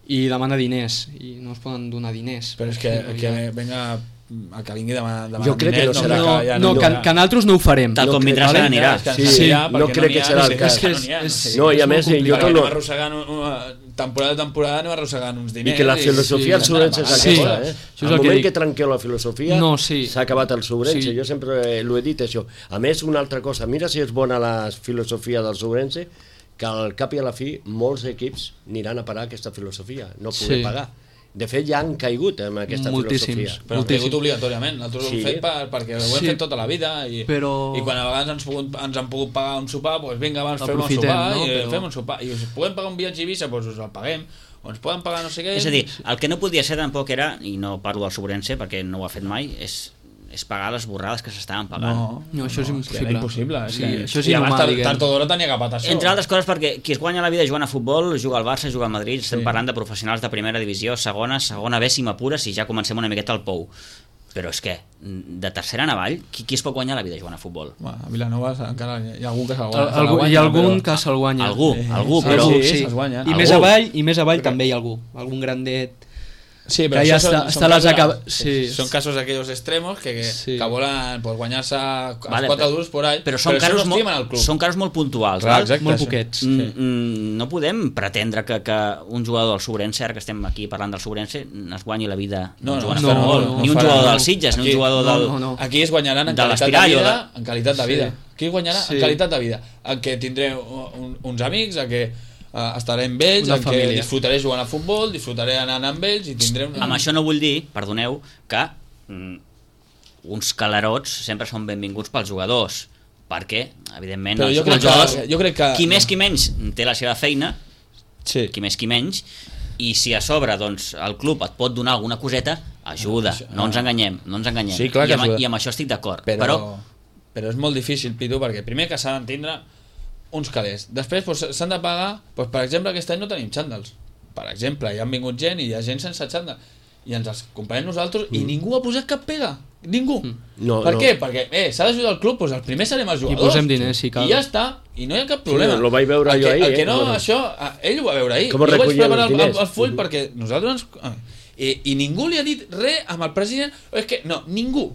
I demana diners, i no es poden donar diners. Però és que venga el que vingui demanar Jo crec que no serà. Que nosaltres no ho farem. Tal com No vindrà crec- s'anirà. Sí, no crec que serà el cas. No, i a més, jo Perquè torno... anem arrossegant temporada a temporada, anem arrossegant uns diners. I que la filosofia del Sobrense és Sí, aquesta, això és Al el que moment dic. que trenqueu la filosofia, No, sí. s'ha acabat el Sobrense. Sí. Jo sempre l'ho he dit, això. A més, una altra cosa, mira si és bona la filosofia del Sobrense, que al cap i a la fi molts equips aniran a parar aquesta filosofia, no poder Sí. pagar. De fet, ja han caigut amb aquesta Moltíssims. filosofia. Però hem caigut obligatòriament, nosaltres ho hem fet perquè ho hem fet tota la vida i quan a vegades ens han pogut pagar un sopar, doncs vinga, abans fem un sopar, no? i fem un sopar, i us podem pagar un viatge a Eivissa, doncs us el paguem, o ens poden pagar no sé què. És a dir, el que no podia ser tampoc era, i no parlo del Sobrense perquè no ho ha fet mai, és pagar les borrades que s'estaven pagant. No, això és impossible. Era impossible. Sí, que això és i abans inhumà, diguem. tard o d'hora tenia que patar això. Entre altres coses perquè qui es guanya la vida jugant a futbol juga al Barça, juga al Madrid, estem parlant de professionals de primera divisió, segona B si m'apures, i ja comencem una miqueta al pou. Però és que, de tercera en avall, qui es pot guanyar la vida jugant a futbol? A Vilanova encara hi ha algú que se'l Hi ha algun que se'l guanya. Algú, però... se'ls guanya. I més avall també hi ha algú. Algun grandet... Sí, però que ja són està les són casos aquells extremos que volen guanyar-se els 4 duros por ahí, però són casos no estimen el club. Són casos molt puntuals, exacte, molt poquets. No podem pretendre que un jugador del Sobrense, ara que estem aquí parlant del Sobrense, es guanyi la vida jugant a futbol. Ni un jugador del Sitges, ni un jugador del... Aquí es guanyaran en qualitat de vida. Aquí es guanyarà en qualitat de vida, en què tindré uns amics, en què estaré amb ells, en què disfrutaré jugant a futbol, disfrutaré anant amb ells i tindré... Amb això no vull dir, perdoneu, que uns calarots sempre són benvinguts pels jugadors, perquè, evidentment, els jugadors, jo crec que... qui més qui menys té la seva feina, qui més qui menys, i si a sobre doncs, el club et pot donar alguna coseta, ajuda, no ens enganyem. Sí, clar que ajuda. I amb això estic d'acord. Però és molt difícil, Pitu, perquè primer que s'han d'entendre uns calés. Després s'han de pagar, per exemple, aquest any no tenim xàndals. Per exemple, hi han vingut gent i hi ha gent sense xàndal. I ens els comprem nosaltres i ningú ha posat cap pega. Ningú. Per què? Perquè s'ha d'ajudar el club, doncs el primer serem els jugadors. I posem diners, si cal. I ja està. I no hi ha cap problema. Lo vaig veure jo ahir. El que no, això, ell ho va veure ahir. Com jo vaig preparar el full perquè nosaltres I ningú li ha dit res amb el president. És que no, ningú.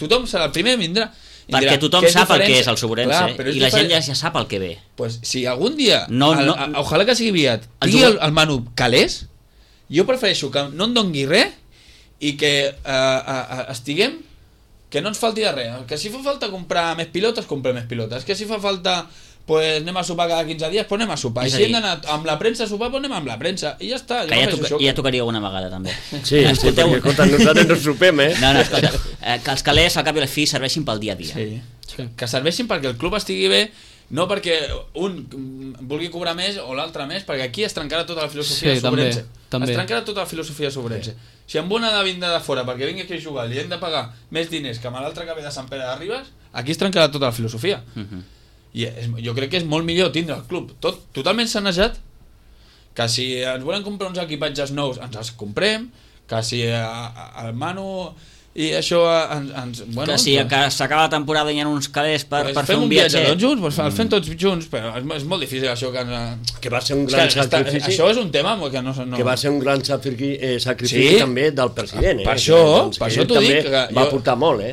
Tothom serà el primer que vindrà. Perquè tothom sap el que és el Sobrense i la gent ja sap el que ve. Pues si algun dia, ojalà que sigui aviat, tingui el Manu calés, jo prefereixo que no em dongui res i que estiguem, que no ens falti de res. Que si fa falta comprar més pilotes, comprem més pilotes. Que si fa falta, pues anem a sopar cada 15 dies, pues anem a sopar. I si hem d'anar amb la premsa a sopar, pues anem amb la premsa. I ja està. Ja tocaria alguna vegada, també. Sí, perquè, escolta, nosaltres no sopem, No, escolta, que els calés al cap i a la fi serveixin pel dia a dia. Sí. Que serveixin perquè el club estigui bé, no perquè un vulgui cobrar més o l'altre més, perquè aquí es trencarà tota la filosofia de Sobrense. Es trencarà tota la filosofia de Sobrense. Si amb una ha de vindre de fora perquè vingui aquí a jugar li hem de pagar més diners que amb l'altre que ve de Sant Pere de Ribes, aquí es trencarà tota la filosofia. I jo crec que és molt millor tindre el club totalment sanejat, que si ens volen comprar uns equipatges nous ens els comprem, que si el Manu i això que si s'acaba la temporada i hi ha uns calés per fer un viatge tots junts, el fem tots junts, però és molt difícil això que va ser un gran sacrifici. Això és un tema que no... Que va ser un gran sacrifici també del president. Per això t'ho dic, va portar molt,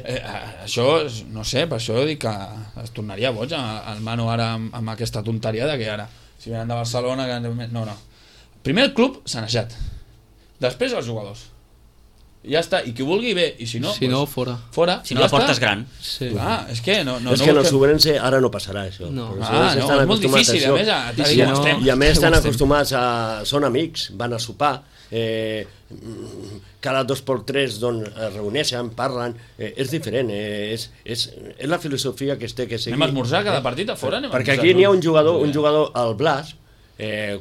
això, no sé, per això dic que es tornaria boig el Manu ara amb aquesta tonteria de que ara si venen de Barcelona no. Primer el club sanejat, després els jugadors ja està, i qui vulgui bé, i si no, Si no, fora. fora. Si no, la porta és gran. Sí. Ah, és que no és que en el Sobrense ara no passarà això. No. Els Ah, Sobrense no, estan és molt acostumats difícil, això. a més, a si dir no- estem. I a més estan Ho estem. acostumats a... Són amics, van a sopar, cada 2x3 doncs, es reuneixen, parlen, és diferent, és la filosofia que es té que seguir. Anem a esmorzar cada partit a fora? Anem a Perquè esmorzar, aquí n'hi ha no? un jugador, el Blas,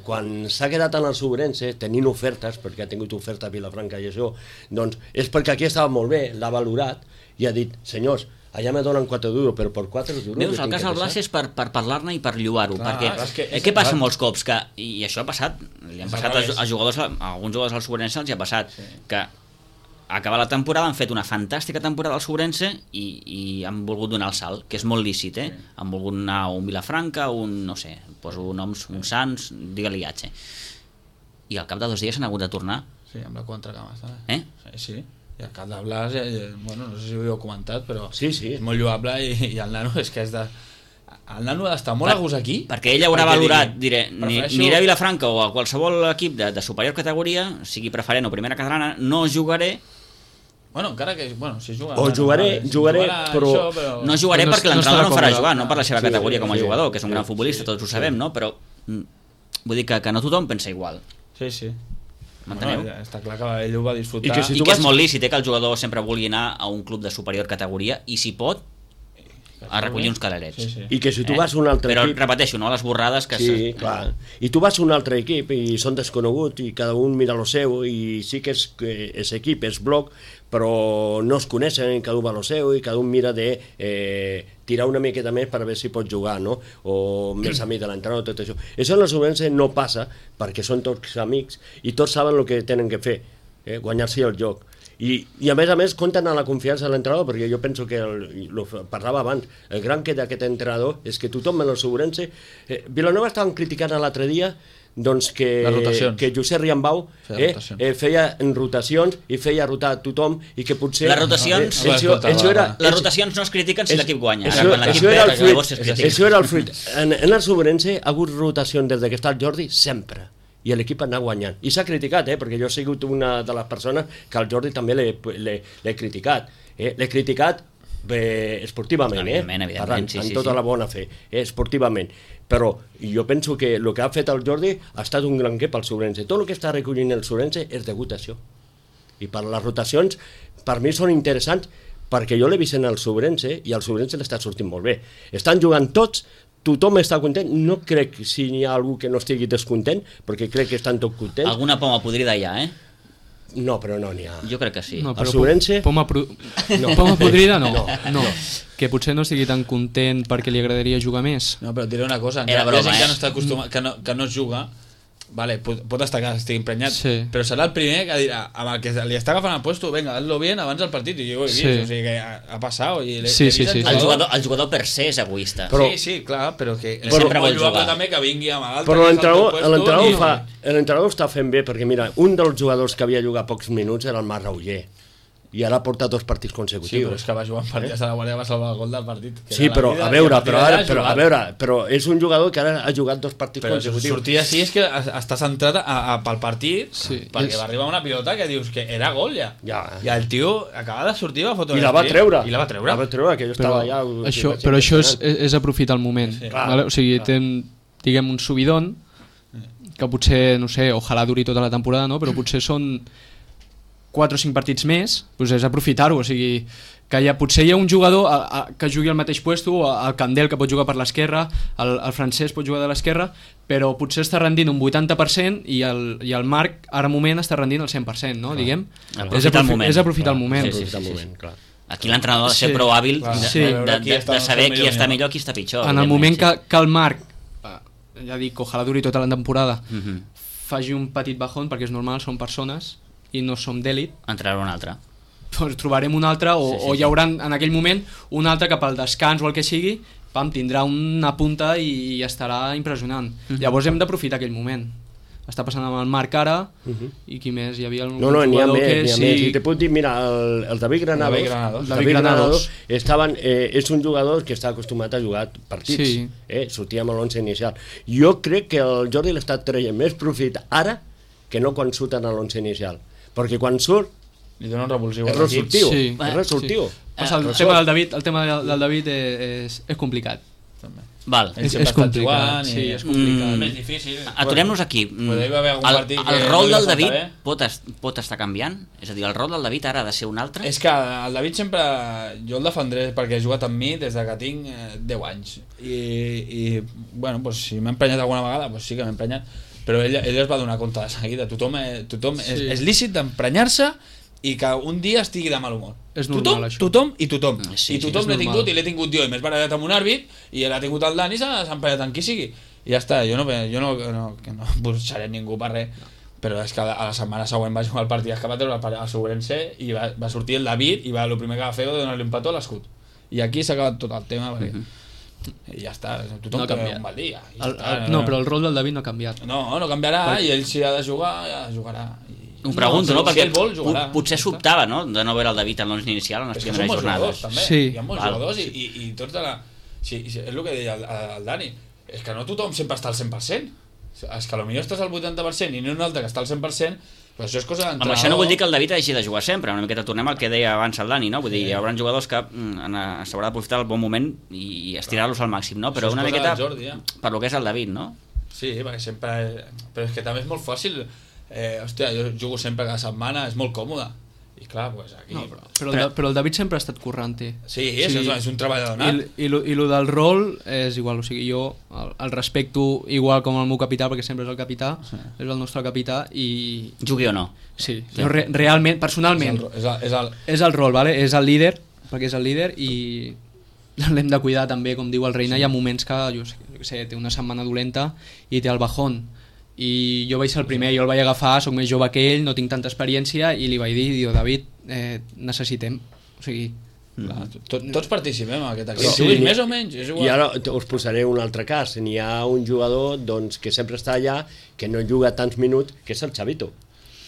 quan s'ha quedat en el Sobrense tenint ofertes, perquè ha tingut oferta a Vilafranca i això, doncs és perquè aquí estava molt bé, l'ha valorat i ha dit, senyors, allà me donen 4 duros, però per 4 duros... Veus, el cas del Blas és per parlar-ne i per lloar-ho, Clar, perquè és que és què passa clar. molts cops? Que, i això ha passat, li han És passat al revés. als jugadors, a alguns jugadors al Sobrense els hi ha passat, que acabar la temporada han fet una fantàstica temporada al Sobrense i han volgut donar el salt, que és molt lícit, han volgut anar a un Vilafranca, un, no sé, poso noms, un Sants, digue-li H. I al cap de 2 dies s'han hagut de tornar. Sí, amb la contracama està bé. Sí. I el cap de Blas, bueno, no sé si ho heu comentat, però Sí. és molt lloable i el nano és que és de... El nano ha d'estar molt a gust aquí. Perquè ell haurà valorat, diré, prefereixo- aniré a Vilafranca o a qualsevol equip de superior categoria, sigui preferent o primera catalana, no jugaré. Bueno, encara que... Bueno, si juga... O jugaré, però- No jugaré No perquè estarà l'entrenador no em farà còmode. jugar, no per la seva Sí, categoria com a sí, jugador, que és un sí, gran futbolista, tots ho sabem, no? Però vull dir que no tothom pensa igual. Sí. M'enteneu? Bueno, està clar que ell ho va disfrutar. I que si I tu que és vas- molt lícit que el jugador sempre vulgui anar a un club de superior categoria i si pot a recollir uns calarets. Sí. I que si tu vas a un altre Però equip... repeteixo, no les borrades que... Sí, clar. I tu vas a un altre equip i són desconeguts i cada un mira lo seu i sí que és equip, és bloc, però no es coneixen, cada un va a lo seu i cada un mira de tirar una miqueta més per veure si pot jugar, no? O més amic de l'entrenador, tot això. Això en la Sobrense no passa perquè són tots amics i tots saben el que tenen que fer, guanyar-se el joc. I a més compten a la confiança de l'entrenador, perquè jo penso que, parlava abans, el gran que d'aquest entrenador és que tothom en el Sobrense... Vilanova estaven criticant l'altre dia doncs Les rotacions. que Josep Riambau Feia rotacions. feia rotacions i feia rotar tothom i que potser... Les rotacions- Les rotacions no es critiquen si l'equip guanya. Ara, quan l'equip perd, llavors es critica. Això era el fruit. En el Sobrense ha hagut rotació des que està el Jordi sempre i l'equip anar guanyant. I s'ha criticat, perquè jo he sigut una de les persones que al Jordi també l'he criticat. L'he criticat esportivament, Evidentment, parlant, sí, amb sí, tota sí. la bona fe, esportivament. Però jo penso que el que ha fet el Jordi ha estat un gran que pel Sobrense. Tot el que està recollint el Sobrense és degut a això. I per les rotacions, per mi són interessants, perquè jo l'he vist en el Sobrense i el Sobrense l'està sortint molt bé. Estan jugant tots, tothom està content, no crec si hi ha algú que no estigui descontent, perquè crec que estan tots contents. Alguna poma podrida hi ha, No, però no n'hi ha. Jo crec que sí. No, El però Sobrense? Poma podrida no. Que potser no estigui tan content perquè li agradaria jugar més. No, però et diré una cosa, Era hi ha broma, gent que eh? no està acostumat, que no es juga, vale, pot estar que estigui emprenyat, Sí. però serà el primer que dirà, amb el que li està agafant el puesto, venga, hazlo bien abans del partit, i jo ho he vist, Sí. o sigui que ha passat, i Sí, sí, sí. El jugador per se és egoista. Però- Sí, clar, però que sempre vol lloable jugar. també que vingui amb l'altre. Però que és al teu puesto, l'entrenador està fent bé, perquè mira, un dels jugadors que havia jugat pocs minuts era el Marc Rauller, i ara porta 2 partits Sí, consecutius. però és que va jugar en partits de la Guàrdia, va salvar el gol del partit. que Sí, era la però vida, a veure, i partir d'allà però és un jugador que ara ha jugat 2 partits Però consecutius. sortir així és que està centrat pel partit, Sí, perquè va arribar una pilota que dius que era gol ja. Ja. I el tio acaba de sortir, va fotre I la va treure. I la va treure. La va treure, que jo estava allà... Però això és aprofitar el moment. Sí. Vale? O sigui, diguem un subidon que potser, no sé, ojalà duri tota la temporada, no? Però potser són 4 o 5 partits més, doncs és aprofitar-ho, o sigui, que potser hi ha un jugador que jugui al mateix puesto, el Candel que pot jugar per l'esquerra, el Francesc pot jugar de l'esquerra, però potser està rendint un 80% i el Marc ara moment està rendint el 100%, no? Diguem. Aprofitar el moment. És aprofitar el moment. Sí, Aprofitar el moment, clar. Aquí l'entrenador ha de ser Sí, prou hàbil clar. Sí. de saber qui està millor i qui està pitjor. En el evidentment, moment que el Marc, ja dic, ojalà duri tota la temporada, Mhm. faci un petit bajón, perquè és normal, són persones i no som d'èlit, Entrarà un altre. doncs trobarem un altre o hi haurà en aquell moment un altre que pel descans o el que sigui, tindrà una punta i estarà impressionant. Llavors hem d'aprofitar aquell moment. Està passant amb el Marc ara i qui més? Hi havia un No, n'hi ha jugador més, que n'hi ha més. I te puc dir, mira, el David Granados, David Granados. és un jugador que està acostumat a jugar partits, Sí. sortia amb l'11 inicial. Jo crec que el Jordi l'està traient més profit ara que no quan surt en l'11 inicial, perquè quan surt li dona un revulsiu És a l'equip. resultiu, Sí. és resultiu. Passa, el tema del David és complicat. També. Val. Ell sempre És ha estat complicat, jugant sí, i és complicat. és més difícil. Aturem-nos aquí. Potser hi va haver algun partit que El no rol li va del faltar David pot estar canviant? És a dir, el rol del David ara ha de ser un altre? És que el David sempre... Jo el defendré perquè ha jugat amb mi des de que tinc 10 anys. I bueno, pues, si m'ha emprenyat alguna vegada, pues sí que m'ha emprenyat. Però ell es va donar compte de seguida. Tothom Sí. és lícit d'emprenyar-se i que un dia estigui de mal humor. És normal, això. Tothom i tothom. Sí, I tothom és l'he normal. tingut i l'he tingut jo. I m'he barallat amb un àrbit i l'ha tingut el Dani i s'ha emprenyat amb qui sigui. I ja està. Jo no buscaré ningú per res. Però és que a la setmana següent va jugar el partit que va treure a Sobrense i va sortir el David i el primer que va fer va donar-li un petó a l'escut. I aquí s'ha acabat tot el tema perquè... I ja està, tothom No ha té canviat. un mal dia. No, però el rol del David no ha canviat. No canviarà i ell si ha de jugar, ja jugarà. Ho pregunto, no? Si Perquè ell vol, jugarà. potser sobtava, no?, de no veure el David en l'11 inicial en les És que són primeres molts jugadors, jornades. també. Sí. Hi ha molts Val. jugadors i tots de la... Sí, és el que deia el Dani. És que no tothom sempre està al 100%. És que potser estàs al 80% i no un altre que està al 100%, però això és cosa Amb d'entrenador. això no vull dir que el David hagi de jugar sempre, una miqueta tornem al que deia abans el Dani, no? Vull dir, hi haurà jugadors que s'haurà d'aprofitar el bon moment i estirar-los al màxim, no? Però Això és una cosa miqueta del Jordi, ja. per lo que és el David, no? Sí, perquè sempre... Però és que també és molt fàcil. Hòstia, jo jugo sempre cada setmana, és molt còmode. I clar, pues aquí... No, però el David sempre ha estat currante. Sí, és un treballador nat. I lo del rol és igual, o sigui, jo el respecto igual com el meu capità, perquè sempre és el capità, és el nostre capità i... Jugui o no. Sí, jo realment, personalment, és el rol, vale? És el líder, perquè és el líder i l'hem de cuidar també, com diu el Reina, hi ha moments que, jo sé, té una setmana dolenta i té el bajón. I jo vaig ser el primer, jo el vaig agafar, sóc més jove que ell, no tinc tanta experiència i li vaig dir, David, necessitem, o sigui... Tots participem en aquest equip. Sí, Juguis més o menys, és I igual. ara us posaré un altre cas. N'hi ha un jugador doncs, que sempre està allà, que no juga tants minuts, que és el Xavito.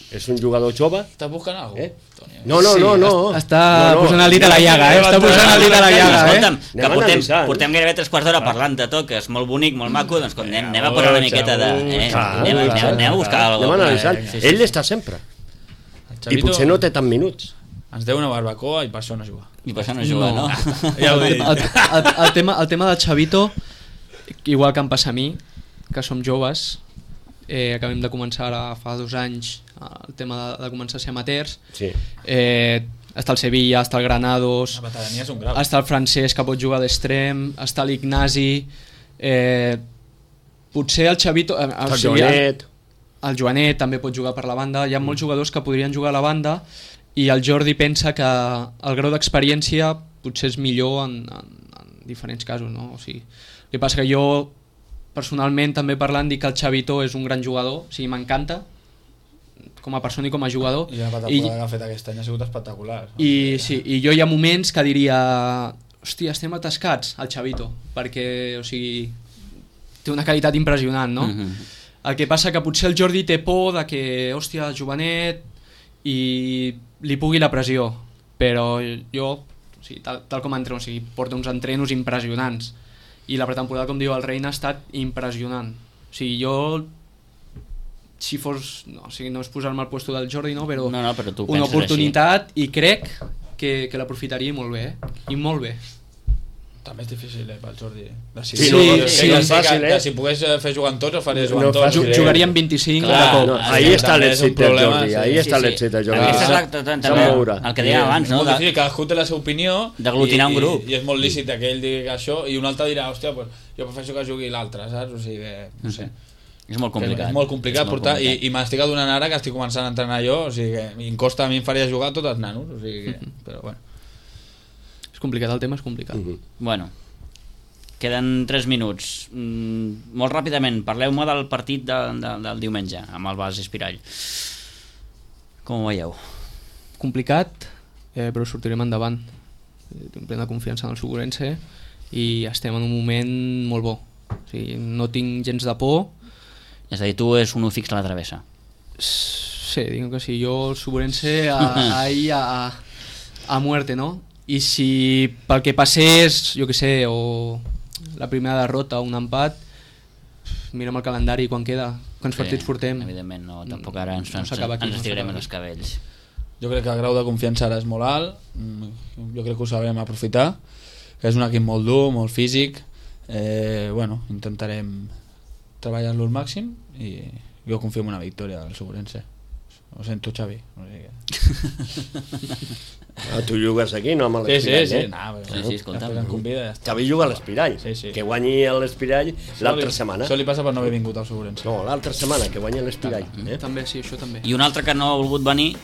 És un jugador jove. Estàs buscant alguna cosa? No. Està posant el dit a la llaga, està posant el dit a la llaga, Escolta'm, que Anem analitzant. portem gairebé 3 quarts d'hora parlant de tot, que és molt bonic, molt maco, doncs anem a posar una miqueta de... Anem a buscar Anem alguna analitzant. cosa. Ell està sempre. I potser no té tants minuts. Ens deu una barbacoa i per això no juga. I per això no juga, no? Ja ho he dit. El tema del Xavito, igual que em passa a mi, que som joves, acabem de començar ara fa 2 anys el tema de començar a ser amateurs, Sí. està el Sevilla, està el Granados, La veterania és un grau. està el francès que pot jugar d'extrem, està l'Ignasi, potser el Xavito, El Joanet. el Joanet també pot jugar per la banda, hi ha molts jugadors que podrien jugar a la banda i el Jordi pensa que el grau d'experiència potser és millor en diferents casos, no? O sigui, el que passa que jo personalment també parlant dic que el Xavito és un gran jugador, o sigui, m'encanta com a persona i com a jugador I la temporada que ha fet aquest any ha sigut espectacular. i jo hi ha moments que diria hòstia, estem atascats al Xavito perquè, o sigui, té una qualitat impressionant, no? El que passa que potser el Jordi té por de que, hòstia, jovenet i li pugui la pressió, però jo, o sigui, tal com entreno, o sigui, porta uns entrenos impressionants i la pretemporada, com diu el Reina, ha estat impressionant. O sigui, jo si fos, no, o sigui, no és posar-me al puesto del Jordi, no, però, No, però tu una penses oportunitat i crec que l'aprofitaria molt bé, i molt bé. També és difícil, pel Jordi. Sí, no és fàcil, Si pogués fer jugar amb tots, ho faria jugar No amb tots. fàcil, Jugaria amb 25 Clar, de cop. No, Ah, ahí sí, està també és un l'èxit del problema, Jordi. sí, Ahí sí, està sí. l'èxit del Aquesta és Jordi. també moure. el que dèiem abans, És no? molt difícil, cadascú té la seva opinió d'aglutinar un grup. I és molt lícit que ell digui això i un altre dirà, hòstia, pues, jo prefereixo que jugui l'altre, saps? O sigui, no sé. És molt complicat. És molt complicat És molt portar complicat. i m'estic adonant ara que estic començant a entrenar jo, o sigui que em costa, a mi em faria jugar tots els nanos, o sigui que, però bueno. És complicat, el tema és complicat. Bueno, queden 3 minuts. Molt ràpidament, parleu-me del partit del diumenge amb el Bas Espirall. Com ho veieu? Complicat, però sortirem endavant. Tinc plena confiança en el Suburense i estem en un moment molt bo. O sigui, no tinc gens de por. És a dir, tu és un fix a la travessa. Sí, dic que sí, jo el Suburense ahí a muerte, no? I si pel que passés, jo que sé, o la primera derrota o un empat, mirem el calendari quan queda, quants partits portem. Evidentment, no, tampoc ara ens s'acaba aquí, no estirem s'acaba els cabells. Jo crec que el grau de confiança ara és molt alt, jo crec que ho sabrem aprofitar, és un equip molt dur, molt físic, bueno, intentarem treballar-lo al màxim i jo confio en una victòria del Segurense. Ho sento, Xavi. Tu jugues aquí, no amb l'Espirall, Sí, però, Sí, escolta. Xavi juga a l'Espirall, Sí. que guanyi l'Espirall l'altra setmana. Això li passa per no haver vingut al Segurense. No, l'altra setmana, que guanyi l'Espirall. També, sí, això també. I un altre que no ha volgut venir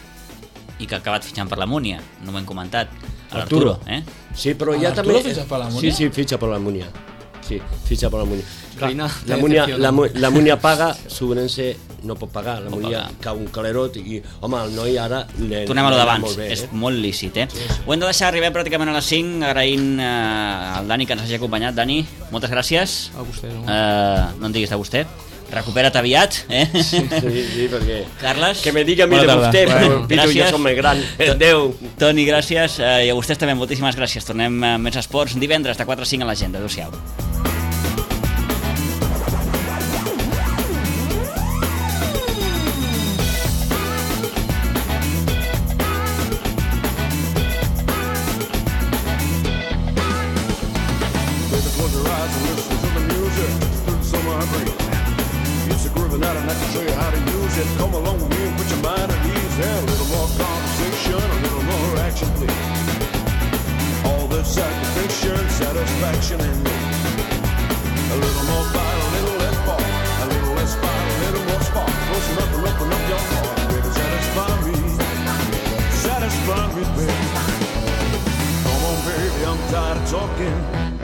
i que ha acabat fitxant per la Múnia, no m'ho hem comentat, l'Arturo. Sí, però ja Arturo també... fitxa per la Múnia? Sí, fitxa per la Múnia. Sí, fitxa per la Múnia. Reina, La Múnia paga, Segurense no pot pagar, la Múnia cau un calerot i, home, el noi ara... Tornem a lo d'abans, molt bé, és molt lícit, Ho hem de deixar arribar pràcticament a les 5, agraint al Dani que ens hagi acompanyat. Dani, moltes gràcies. A vostè. No en diguis a vostè. Recupera't aviat, Sí, perquè... Carles. Que me diga a mi de Bona tarda. vostè, però Bueno, Pitu gràcies. ja som més gran. Adéu. Toni, gràcies. I a vostès també, moltíssimes gràcies. Tornem a Més Esports divendres de 4 a 5 a l'agenda. Adéu-siau. Baby, close your eyes and listen to the music through the summer breeze. It's a groovy night and I can show you how to use it. Come along with me and put your mind at ease. And a little more conversation, a little more action, please. All this satisfaction, satisfaction in me. A little more fight, a little less fall. A little less fight, a little more spark. Close enough and open up your heart. Baby, satisfy me. Satisfy me, baby. Come on, baby, I'm tired of talking.